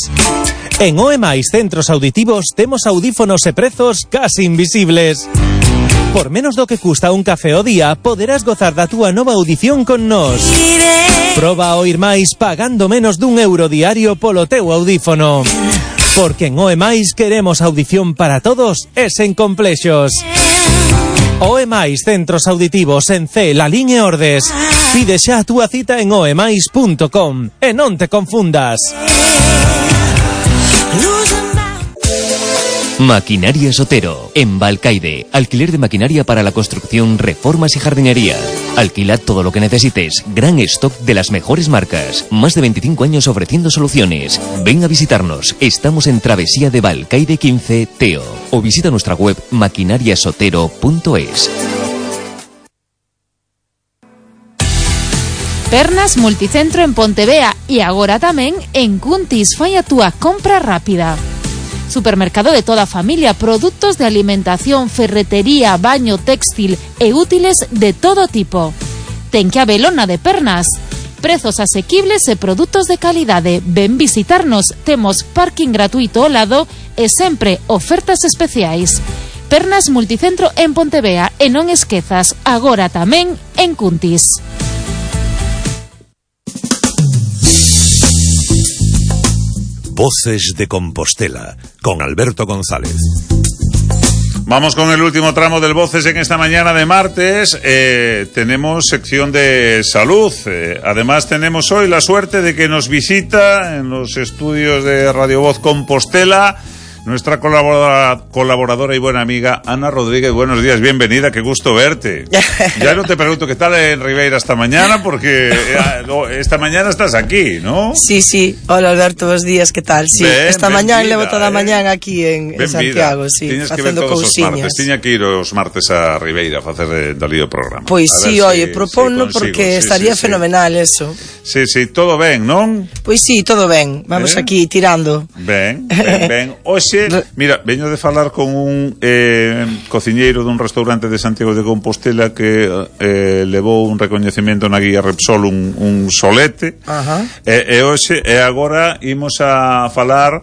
En OEMAIS Centros Auditivos temos audífonos e prezos casi invisibles. Por menos do que custa un café ao día, poderás gozar da túa nova audición con nós. Proba a oír máis pagando menos d€1 diario polo teu audífono. Porque en OEMAIS queremos audición para todos e sen complexos. OEMAIS Centros Auditivos en C, Lalín e Ordes. Pide xa a túa cita en oemais.com e non te confundas. Maquinaria Sotero, en Balcaide. Alquiler de maquinaria para la construcción, reformas y jardinería. Alquila todo lo que necesites. Gran stock de las mejores marcas. Más de 25 años ofreciendo soluciones. Ven a visitarnos. Estamos en Travesía de Balcaide 15, Teo. O visita nuestra web maquinariasotero.es. Pernas Multicentro en Pontevea y agora tamén en Cuntis. Fai a túa compra rápida. Supermercado de toda familia, productos de alimentación, ferretería, baño, textil e útiles de todo tipo. Ten que Abelona de Pernas. Prezos asequibles e produtos de calidade. Ven visitarnos, temos parking gratuito ao lado e sempre ofertas especiais. Pernas Multicentro en Pontevea e non esquezas, agora tamén en Cuntis. Voces de Compostela, con Alberto González. Vamos con el último tramo del Voces en esta mañana de martes. Tenemos sección de salud. Además tenemos hoy la suerte de que nos visita en los estudios de Radio Voz Compostela nuestra colaboradora y buena amiga Ana Rodríguez. Buenos días, bienvenida, qué gusto verte. Ya no te pregunto qué tal en Ribeira esta mañana, porque esta mañana estás aquí, ¿no? Sí, sí. Hola Alberto, buenos días, ¿qué tal? Sí, esta mañana levo toda a mañana aquí en Santiago, sí, facendo cousiñas. Tiña que ir os martes a Ribeira a facer dalí o programa. Pois sí, oye, proponno porque estaría fenomenal eso. Sí, sí, todo ben, non? Pois sí, todo ben. Vamos aquí tirando. Ben. Oxe, mira, veño de falar con un cociñeiro dun restaurante de Santiago de Compostela que levou un recoñecemento na guía Repsol, un solete. E hoxe, e agora imos a falar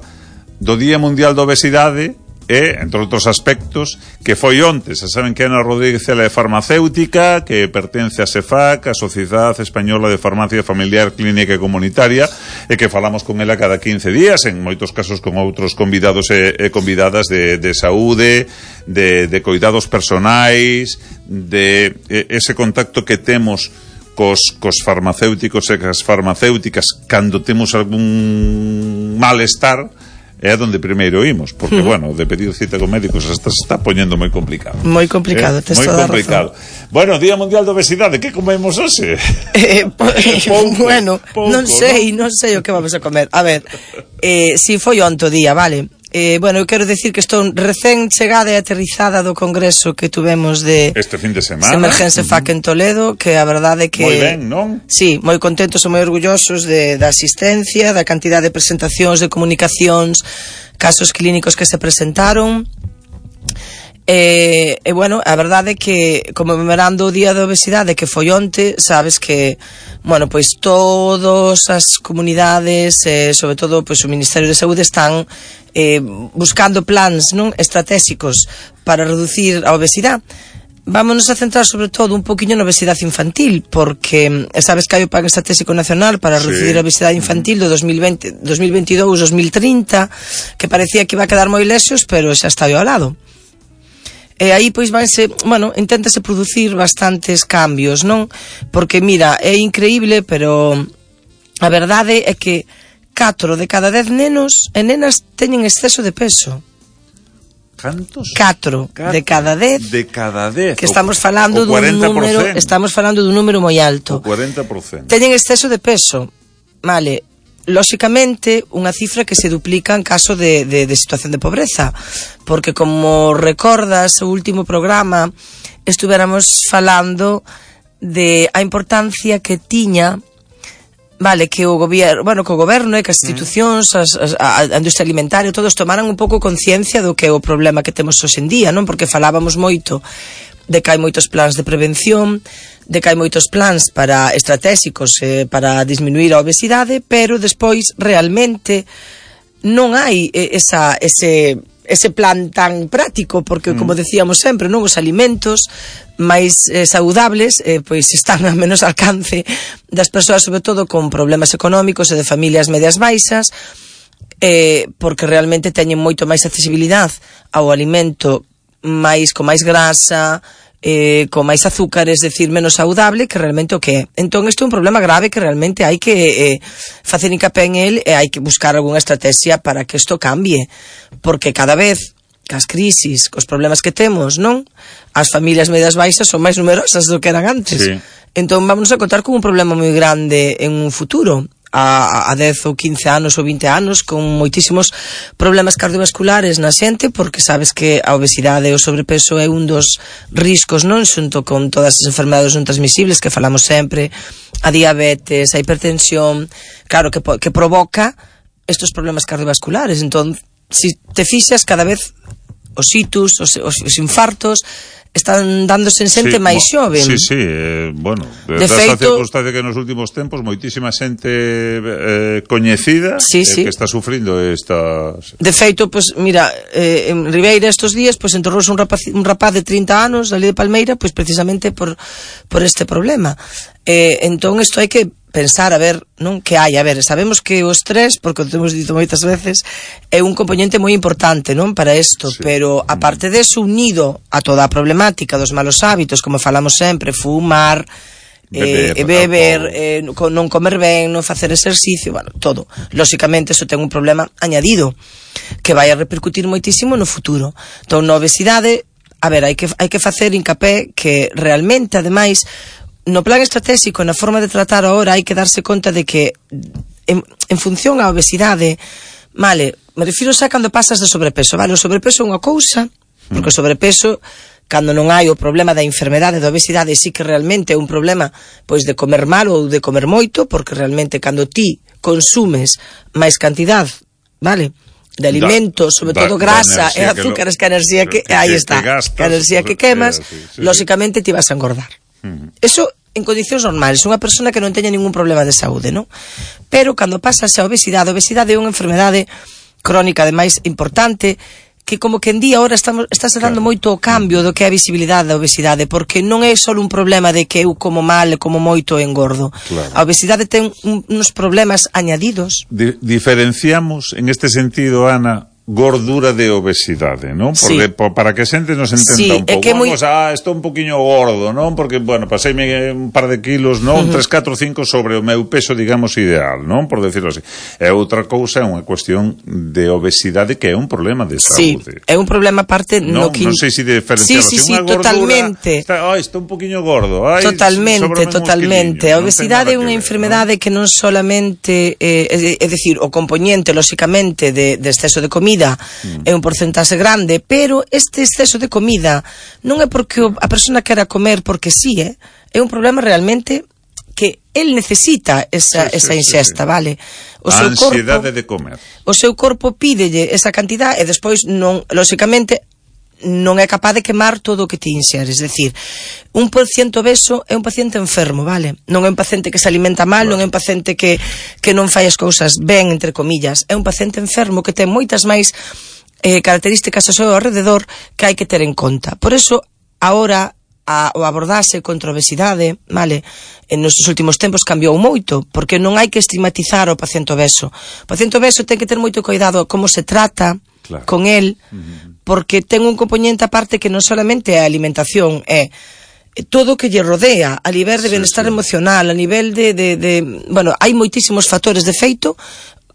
do Día Mundial da Obesidade e, entre outros aspectos, que foi onte. Se saben que Ana Rodríguez ela é farmacéutica, que pertence a SEFAC, a Sociedade Española de Farmacia Familiar, Clínica e Comunitaria, e que falamos con ela cada 15 días, en moitos casos con outros convidados e convidadas de saúde, de cuidados personais, de ese contacto que temos cos farmacéuticos e as farmacéuticas cando temos algún malestar. É onde primeiro imos, porque, bueno, de pedir cita con médicos hasta se está poñendo moi complicado. Moi complicado, tes toda a razón. Bueno, Día Mundial da Obesidade, que comemos hoxe? Bueno, non sei o que vamos a comer. A ver, si foi onto día, vale? Bueno, eu quero decir que estou recén chegada e aterrizada do congreso que tuvemos de este fin de semana Emergencia FAC en Toledo, que a verdade é que moi ben, non? Sí, moi contentos e moi orgullosos da asistencia, da cantidad de presentacións, de comunicacións, casos clínicos que se presentaron. E bueno, a verdade é que comemorando o Día da Obesidade que foi onte, sabes que bueno, pois todas as comunidades, sobre todo pois o Ministerio de Saúde están buscando plans, non, estratégicos para reducir a obesidade. Vámonos a centrar sobre todo un poquinho na obesidade infantil, porque sabes que hai o Plan Estratégico Nacional para reducir a obesidade infantil do 2022-2030, que parecía que iba a quedar moi lexos, pero xa está ao lado. E aí pois inténtase producir bastantes cambios, non? Porque mira, é increíble, pero a verdade é que 4 de cada 10 nenos e nenas teñen exceso de peso. Cantos? 4 de cada 10. De cada 10. Que estamos falando dun número moi alto. O 40%. Teñen exceso de peso. Vale. Lóxicamente, unha cifra que se duplica en caso de situación de pobreza, porque como recordas o último programa estuvéramos falando de a importancia que tiña, vale, que o goberno e que as institucións, a industria alimentaria, todos tomaran un pouco conciencia do que é o problema que temos hoxe en día, non? Porque falábamos moito de que hai moitos plans de prevención, de que hai moitos plans estratégicos para disminuir a obesidade, pero despois realmente non hai ese plan tan práctico, porque como decíamos sempre, non, os alimentos máis saudables pois están a menos alcance das persoas, sobre todo con problemas económicos e de familias medias baixas, porque realmente teñen moito máis accesibilidade ao alimento con máis grasa, con máis azúcar, es decir, menos saudable que realmente o que é. Entón, isto é un problema grave que realmente hai que facer hincapé en el e hai que buscar algunha estrategia para que isto cambie, porque cada vez cas crisis, cos problemas que temos, non? As familias medias baixas son máis numerosas do que eran antes. Sí. Entón, vamos a contar con un problema moi grande en un futuro, a 10 ou 15 anos ou 20 anos, con moitísimos problemas cardiovasculares na xente, porque sabes que a obesidade e o sobrepeso é un dos riscos, non, xunto con todas as enfermedades non transmisibles que falamos sempre, a diabetes, a hipertensión, claro, que provoca estos problemas cardiovasculares. Entón, si te fixas, cada vez os ictus, os infartos están dándose en xente máis xove. Sí, bueno, esta circunstancia que nos últimos tempos moitísima xente coñecida que está sufrindo estas... De feito, pues mira, en Ribeira estos días pues enterrouse un rapaz de 30 anos ali de Palmeira, pues precisamente por este problema. Entón isto hai que pensar, a ver, non, que hai, a ver, sabemos que o estrés, porque o temos dito moitas veces, é un componente moi importante, non, para isto, pero aparte deso, unido a toda a problemática dos malos hábitos, como falamos sempre, fumar, beber, non comer ben, non facer exercicio, bueno, todo. Lóxicamente, iso ten un problema añadido, que vai a repercutir moitísimo no futuro. Entón, na obesidade, a ver, hai que facer hincapé que realmente, ademais, no plan estratégico, na forma de tratar ahora, hai que darse conta de que en función á obesidade, vale, me refiro xa cando pasas de sobrepeso, vale, o sobrepeso é unha cousa, porque o sobrepeso, cando non hai o problema da enfermedade da obesidade, sí que realmente é un problema pois de comer mal ou de comer moito, porque realmente cando ti consumes máis cantidad, vale, de alimentos, sobre todo grasa e azúcares, que a enerxía que aí está, que a enerxía que quemas, lóxicamente ti vas a engordar. Eso en condicións normales, unha persona que non teña ningún problema de saúde, non? Pero cando pasase a obesidade é unha enfermedade crónica, ademais, importante, que como que en día ahora estáse dando moito o cambio do que é a visibilidade da obesidade, porque non é só un problema de que eu como mal, como moito engordo. A obesidade ten uns problemas añadidos. Diferenciamos, en este sentido, Ana, gordura de obesidade, non? Porque para que a xente nos entenda un pouco, estou un poquinho gordo, non? Porque, bueno, paseime un par de kilos, non? 3, 4, 5 sobre o meu peso, digamos, ideal, non? Por decirlo así. E outra cousa é unha cuestión de obesidade que é un problema de saúde. É un problema aparte non sei se diferenciar unha gordura, totalmente. Estou un poquinho gordo. Totalmente. A obesidade é unha enfermedade que non solamente, é dicir, o componente, lóxicamente, de exceso de comida, comida é un porcentaxe grande, pero este exceso de comida non é porque a persona quera comer porque sí, é un problema realmente que el necesita esa ingesta, vale? A ansiedade de comer. O seu corpo pídelle esa cantidad e despois non, lóxicamente, non é capaz de quemar todo o que ti inxeres. É dicir, un paciente obeso é un paciente enfermo, vale? Non é un paciente que se alimenta mal, non é un paciente que non fai as cousas ben, entre comillas. É un paciente enfermo que ten moitas máis características ao seu alrededor que hai que ter en conta. Por eso, agora, o abordarse contra a obesidade, vale, nos últimos tempos cambiou moito, porque non hai que estigmatizar o paciente obeso. O paciente obeso ten que ter moito cuidado como se trata con el, porque ten un componente aparte que non solamente é a alimentación, é todo o que lle rodea, a nivel de bienestar emocional, a nivel de bueno, hai moitísimos factores de feito.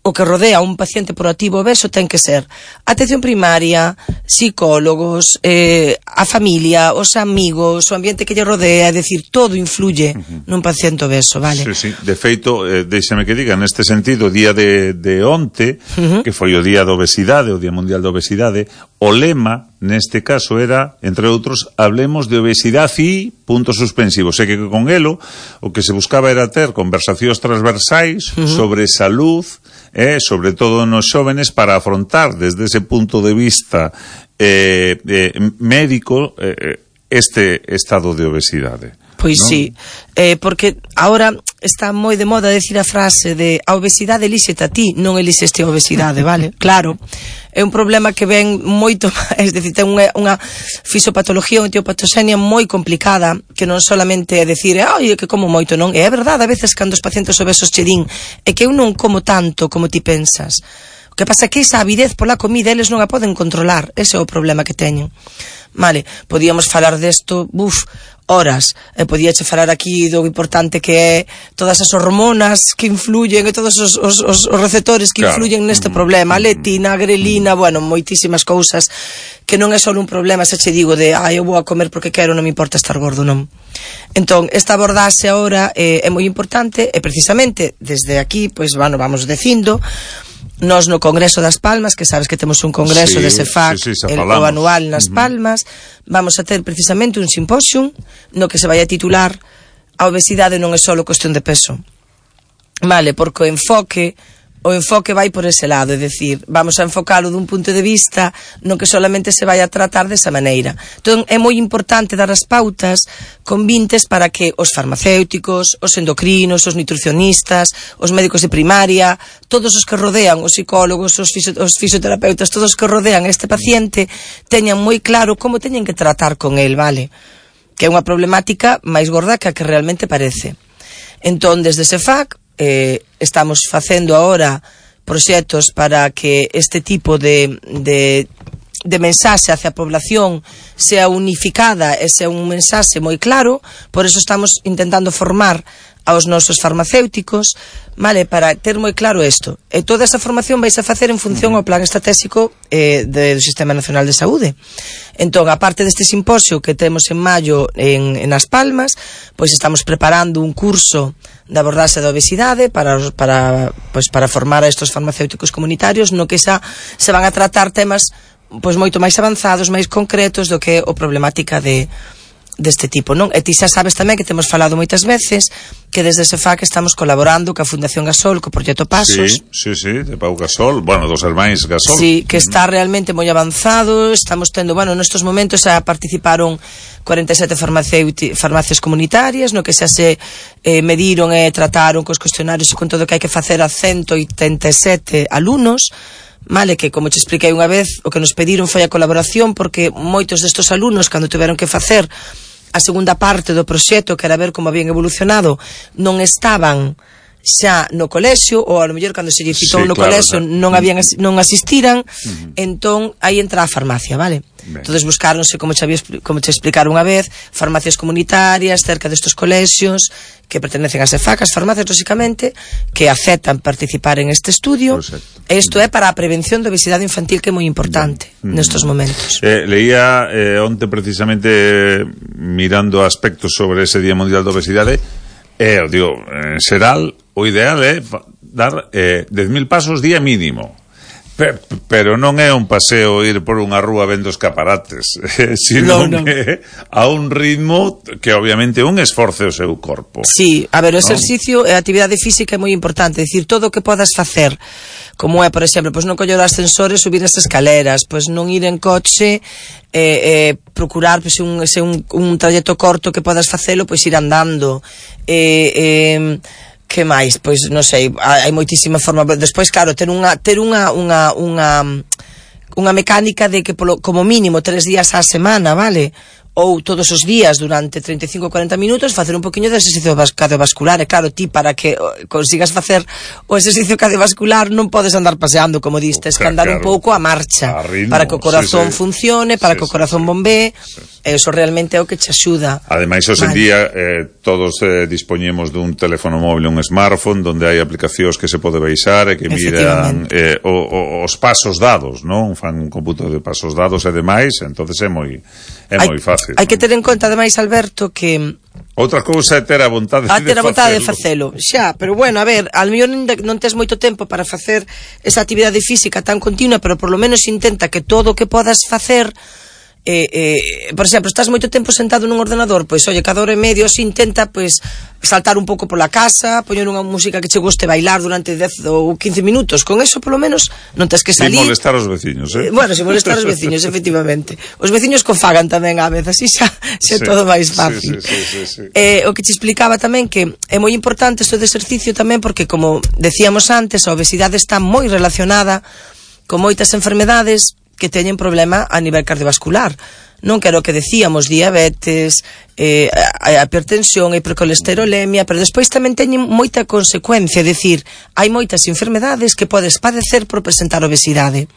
O que rodea a un paciente proactivo obeso ten que ser atención primaria, psicólogos, a familia, os amigos, o ambiente que lle rodea, é dicir, todo influye nun paciente obeso, vale? Sí. De feito, déixame que diga, neste sentido, o día de onte, que foi o día da obesidade, o Día Mundial da Obesidade, o lema, neste caso, era, entre outros, hablemos de obesidade e puntos suspensivos. E que con elo, o que se buscaba era ter conversacións transversais sobre salud, sobre todo nos xóvenes, para afrontar desde ese punto de vista médico este estado de obesidade. Pois ¿no? Sí, porque ahora está moi de moda decir a frase de a obesidade elíxete a ti, non elixeste a obesidade, vale? Claro, é un problema que ven moito, é dicir, ten unha fisiopatología, unha etiopatoxenia moi complicada, que non solamente é decir, ai, que como moito, non, é verdade, a veces cando os pacientes obesos che din, é que eu non como tanto como ti pensas. O que pasa é que esa avidez pola comida eles non a poden controlar, ese é o problema que teñen. Vale, podíamos falar desto, horas, podíache falar aquí do importante que é todas as hormonas que influyen e todos os receptores que influyen neste problema, a leptina, a grelina, bueno, moitísimas cousas que non é só un problema, se che digo de, eu vou a comer porque quero, non me importa estar gordo, non. Entón, esta abordaxe agora é moi importante e precisamente desde aquí, pois, bueno, vamos dicindo, nós no Congreso das Palmas, que sabes que temos un congreso de CEFAC, o anual nas Palmas, vamos a ter precisamente un simposium no que se vai a titular a obesidade non é só cuestión de peso, vale, porque o enfoque vai por ese lado, é dicir, vamos a enfocalo dun punto de vista no que solamente se vai a tratar desa maneira. Entón, é moi importante dar as pautas convintes para que os farmacéuticos, os endocrinos, os nutricionistas, os médicos de primaria, todos os que rodean, os psicólogos, os fisioterapeutas, todos os que rodean este paciente, teñan moi claro como teñen que tratar con el, vale? Que é unha problemática máis gorda que a que realmente parece. Entón, desde CEFAC, estamos facendo agora proxectos para que este tipo de mensaxe hacia a población sea unificada e sea un mensaxe moi claro, por eso estamos intentando formar aos nosos farmacéuticos, vale, para ter moi claro isto. E toda esa formación vais a facer en función ao plan estratégico do Sistema Nacional de Saúde. Entón, aparte deste simposio que temos en maio en As Palmas, pois estamos preparando un curso de abordaxe da obesidade para formar a estos farmacéuticos comunitarios no que xa se van a tratar temas pois moito máis avanzados, máis concretos do que o problemática deste tipo, non? E ti xa sabes tamén que temos falado moitas veces que desde CEFAC estamos colaborando ca Fundación Gasol, co proxecto Pasos. Sí, de Pau Gasol, bueno, dos hermáns Gasol. Sí, que está realmente moi avanzado, estamos tendo, bueno, nestos momentos xa participaron 47 farmacias comunitarias, no que xa se mediron e trataron cos cuestionarios e con todo o que hai que facer a 187 alumnos, vale, que como te expliquei unha vez, o que nos pediron foi a colaboración porque moitos destos alumnos, cando tiveron que facer a segunda parte do proxecto, que era ver como habían evolucionado, non estaban xa no colexio, ou a lo mellor cando se lle citou no colexio non asistiran, entón aí entra a farmacia, vale? Entonces buscáronse, como te explicaron unha vez, farmacias comunitarias cerca destes colexios que pertenecen a CEFAC, as farmacias, lógicamente, que aceptan participar en este estudio. E isto é para a prevención da obesidade infantil, que é moi importante nestes momentos. Leía onte precisamente mirando aspectos sobre ese Día Mundial da Obesidade, digo, en xeral, o ideal é dar 10.000 pasos día mínimo. Pero non é un paseo ir por unha rúa vendo escaparates, sino que a un ritmo que obviamente un esforce o seu corpo. Sí, a ver, o exercicio e a actividade física é moi importante, é dicir, todo o que podas facer, como é, por exemplo, pois non coller os ascensores, subir as escaleras, pois non ir en coche, procurar pois un trayecto corto que podas facelo, pois ir andando, que máis? Pois non sei, hai moitísima forma. Despois, claro, ter unha mecánica de que como mínimo 3 días á semana, vale? Ou todos os días durante 35-40 minutos facer un poquinho de exercicio cardiovascular. E claro, ti para que consigas facer o exercicio cardiovascular non podes andar paseando, como distes, que andar un pouco a marcha, para que o corazón funcione, para que o corazón bombee. Eso realmente é o que te axuda. Ademais, hoxe en día todos dispoñemos dun teléfono móvil, un smartphone, donde hai aplicacións que se pode baixar e que miran os pasos dados, non? Fan un cómputo de pasos dados e demais, entonces é moi fácil. Hai que ter en conta, ademais, Alberto, que outra cousa é ter a vontade de facelo. Xa, pero bueno, a ver, al mellor non tes moito tempo para facer esa actividade física tan continua, pero por lo menos intenta que todo o que podas facer, por exemplo, estás moito tempo sentado nun ordenador, pois, oye, cada hora e medio se intenta, pois, saltar un pouco pola casa, poñer unha música que che guste, bailar durante 10 ou 15 minutos, con eso, polo menos, non tes que salir. Sin molestar os veciños, Bueno, sin molestar os veciños, efectivamente. Os veciños cofagan tamén a vez, así xa é todo máis fácil. Sí. O que te explicaba tamén que é moi importante isto de exercicio tamén, porque, como decíamos antes, a obesidade está moi relacionada con moitas enfermedades que teñen problema a nivel cardiovascular. Non quero que decíamos diabetes, a hipertensión, a hipercolesterolemia, pero despois tamén teñen moita consecuencia, é dicir, hai moitas enfermedades que podes padecer por presentar obesidade.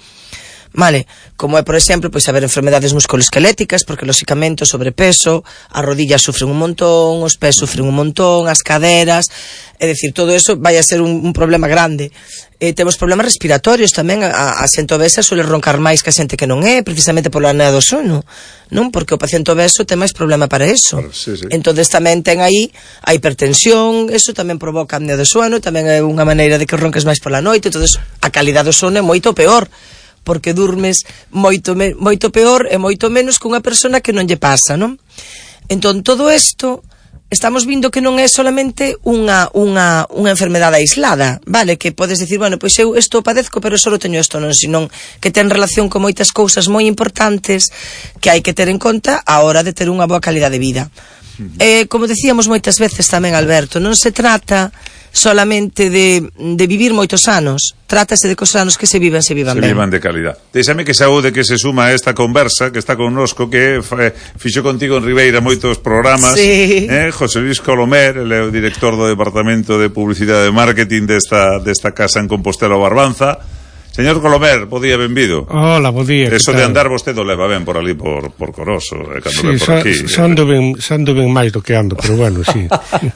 Vale, como é, por exemplo, pois haber enfermedades musculoesqueléticas, porque lóxicamente o sobrepeso, as rodillas sufren un montón, os pés sufren un montón, as caderas, é dicir, todo eso vai a ser un problema grande. Temos problemas respiratorios tamén, a xente obesa suele roncar máis que a xente que non é, precisamente pola apnea do sono, non? Porque o paciente obeso ten máis problema para eso. Sí. Entonces tamén ten aí a hipertensión, eso tamén provoca apnea do sono, tamén é unha maneira de que ronques máis pola noite, entonces a calidade do sono é moito peor, porque durmes moito peor e moito menos que unha persona que non lle pasa, non? Entón, todo isto estamos vindo que non é solamente unha enfermedade aislada, vale? Que podes dicir, bueno, pois eu isto padezco, pero só teño isto, non? Senón que ten relación con moitas cousas moi importantes que hai que ter en conta a hora de ter unha boa calidade de vida. Como decíamos moitas veces tamén, Alberto, non se trata solamente de vivir moitos anos, trátase de que os anos que se vivan ben. Se vivan de calidad. Déxame que saúde que se suma a esta conversa que está connosco, que fixo contigo en Ribeira moitos programas, José Luis Colomer, ele é o director do Departamento de Publicidade e Marketing desta casa en Compostela o Barbanza. Señor Colomer, bo día, benvido. Hola, bo día. Eso de andar vostede leva ben por ali, por Coroso, cando ven por aquí. Sando ben máis do que ando, pero bueno, sí.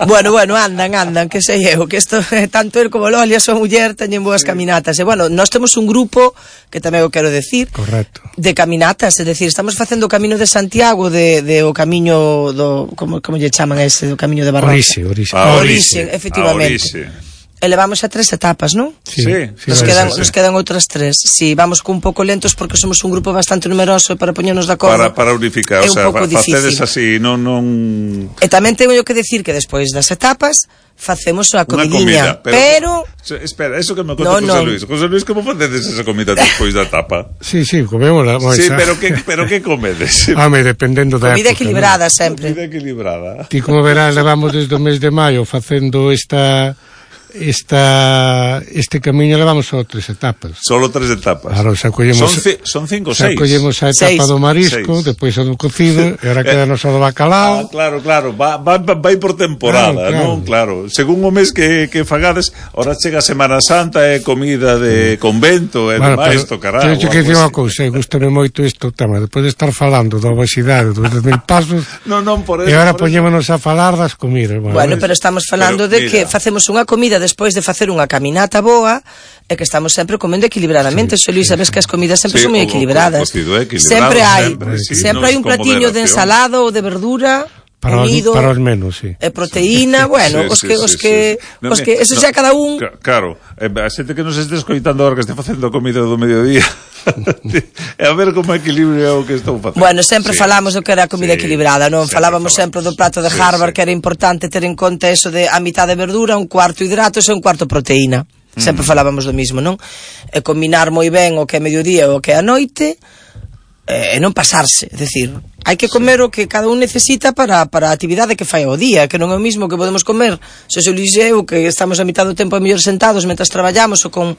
Bueno, andan, que sei eu, que isto, tanto el como Lolia, súa muller, teñen boas caminatas. E bueno, nós temos un grupo, que tamén o quero decir, correcto, de caminatas, é dicir, estamos facendo o Camiño de Santiago, o camiño do, como lle chaman ese, do Camiño de Barranza. Orixe, efectivamente. E levamos a 3 etapas, non? Sí. Nos quedan outras 3. Si, vamos un pouco lentos porque somos un grupo bastante numeroso para poñernos de acordo. Para unificar, o sea, facedes así, non... E tamén teño que decir que despois das etapas facemos a comidiña, pero... Espera, eso que me conta José Luis. José Luis, como facedes esa comida despois da etapa? Sí, comemos. Sí, pero que comedes? Home, dependendo da comida época, equilibrada, ¿no? Sempre. Comida equilibrada. Ti, como verás, levamos desde o mes de maio facendo este camiño, levamos só 3 etapas. Solo 3 etapas. Claro, son 5 ou 6. Collemos a etapa do marisco, depois a do cocido, e ahora quedanos a do bacalao. Claro, vai por temporada, non? Claro, según o mes que fagades, ahora chega a Semana Santa, é comida de convento, e demais, tocará. Teño que dicir unha cousa, gustame moito isto tema, depois de estar falando da obesidade, dos 10.000 pasos, non, por eso. E agora poñémonos a falar das comidas. Bueno, pero estamos falando de que facemos unha comida despois de facer unha caminata boa e que estamos sempre comendo equilibradamente. Xo Luis, sabes que as comidas sempre son moi equilibradas. Sempre hai un platiño de ensalada ou de verdura. unido. Para os menos, sí. E proteína, bueno, os que eso xa cada un. Claro, a xente que nos este escoitando agora que este facendo comida do mediodía. A ver como equilibrio o que estou facendo. Bueno, sempre falamos do que era a comida equilibrada, non? Falábamos sempre do prato de Harvard, que era importante ter en conta eso de a mitad de verdura, un cuarto hidratos e un cuarto proteína. Sempre falábamos do mismo, non? E combinar moi ben o que é mediodía e o que é a noite, e non pasarse, é dicir, hai que comer o que cada un necesita para a actividade que fai ao día, que non é o mismo que podemos comer se o Liceu, que estamos a mitad do tempo a mellor sentados mentras traballamos ou con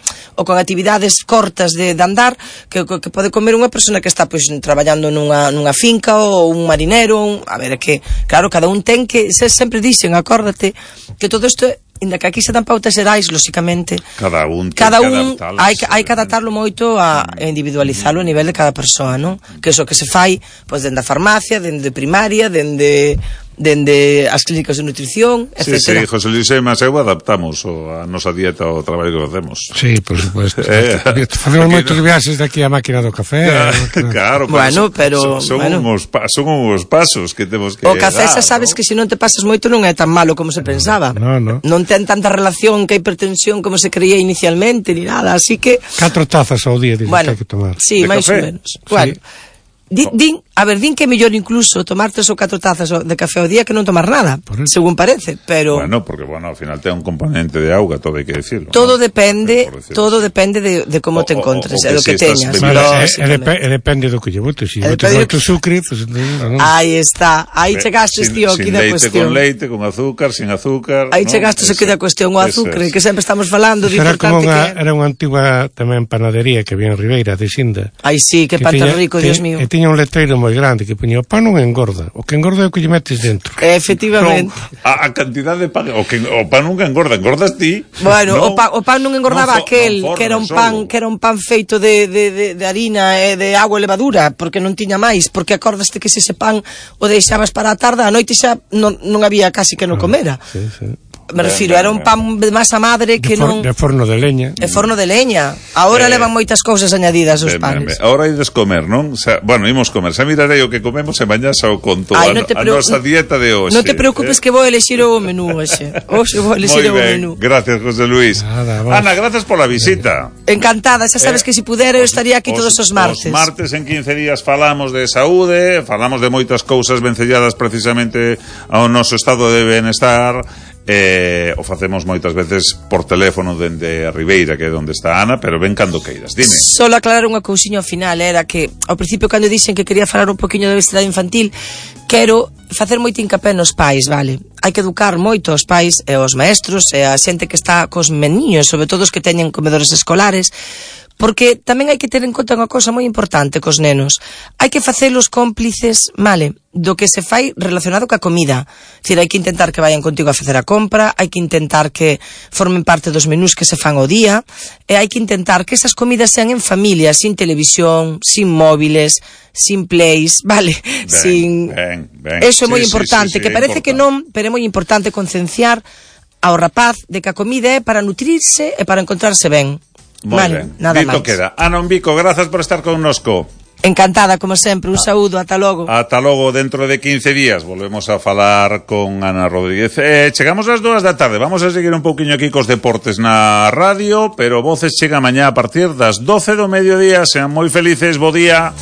actividades cortas de andar, que pode comer unha persona que está pois traballando nunha finca ou un marinero, a ver, é que claro, cada un ten que, sempre dixen, acórdate que todo isto inda que aquí se dan pautas xerais, lóxicamente cada un hai que adaptarlo moito a individualizarlo a nivel de cada persoa, non? Que iso que se fai pois dende a farmacia, dende primaria, dende as clínicas de nutrición, etc. Sí, José Luis e Maseu adaptamos a nosa dieta ao traballo que facemos. Sí, por supuesto. Facemos moitos viaxes de aquí á máquina do café. Claro, bueno, pero son uns pasos que temos que o café xa sabes que se non te pasas moito non é tan malo como se pensaba. Non ten tanta relación que a hipertensión como se creía inicialmente ni nada, así que 4 tazas ao día que hai que tomar. Sí, máis ou menos. Bueno, din que é mellor incluso tomar 3 ou 4 tazas de café ao día que non tomar nada, según parece, pero bueno, porque ao final ten un componente de auga, todo hai que decirlo. Todo depende de como te encontres, e do que teñas. E depende do que lle botes, se botes moito sucre, pues aí está, aí chegastes tío aquí da cuestión. Con leite, con azúcar, sin azúcar. Aí chegastes aquí da cuestión, o azúcar, que sempre estamos falando de importante que era unha antiga tamén panadería que había en Ribeira de Xinda. Aí sí, que pan tan rico, Dios mío. Tiña un letreiro moi grande que poñía: o pan non engorda, o que engorda é o que lle metes dentro. Efectivamente. A cantidad de pan, o pan nunca engorda, engordas ti. Bueno, o pan non engordaba aquel que era un pan feito de harina e de agua e levadura, porque non tiña máis, porque acordaste que se ese pan o deixabas para a tarde, a noite xa non había casi que non comera. Sí. Me refiro, era un pan de masa madre que non... De forno de leña. De forno de leña. Ahora levan moitas cousas añadidas os panes. Ahora ides comer, non? Bueno, imos comer. Xa mirarei o que comemos e mañá xa o conto a nosa dieta de hoxe. Non te preocupes que vou elexir o menú hoxe. Hoxe vou elexir o menú. Gracias, José Luis. Ana, gracias pola visita. Encantada. Xa sabes que se pudera eu estaría aquí todos os martes. Os martes en 15 días falamos de saúde, falamos de moitas cousas vencelladas precisamente ao noso estado de benestar. O facemos moitas veces por teléfono dende a Ribeira, que é onde está Ana, pero ven cando queiras, dime. Solo aclarar unha cousiña ao final, era que ao principio cando dixen que quería falar un poquinho de obesidade infantil, quero facer moito hincapé nos pais, vale? Hai que educar moito os pais e os maestros e a xente que está cos meniños, sobre todo os que teñen comedores escolares, porque tamén hai que ter en conta unha cousa moi importante cos nenos. Hai que facelos cómplices, vale, do que se fai relacionado ca comida. Dicir, hai que intentar que vayan contigo a facer a compra, hai que intentar que formen parte dos menús que se fan ao día, e hai que intentar que esas comidas sean en familia, sin televisión, sin móviles, sin plays, vale? Eso é moi importante, que parece que non, pero é moi importante concienciar ao rapaz de que a comida é para nutrirse e para encontrarse ben. Vale, nada máis. Dito queda. Ana Umbico, grazas por estar connosco. Encantada, como sempre, un saúdo, ata logo. Ata logo, dentro de 15 días volvemos a falar con Ana Rodríguez. Chegamos ás 2 da tarde, vamos a seguir un pouquiño aquí cos deportes na radio, pero Voces chega mañá a partir das 12 do mediodía. Sean moi felices, bo día.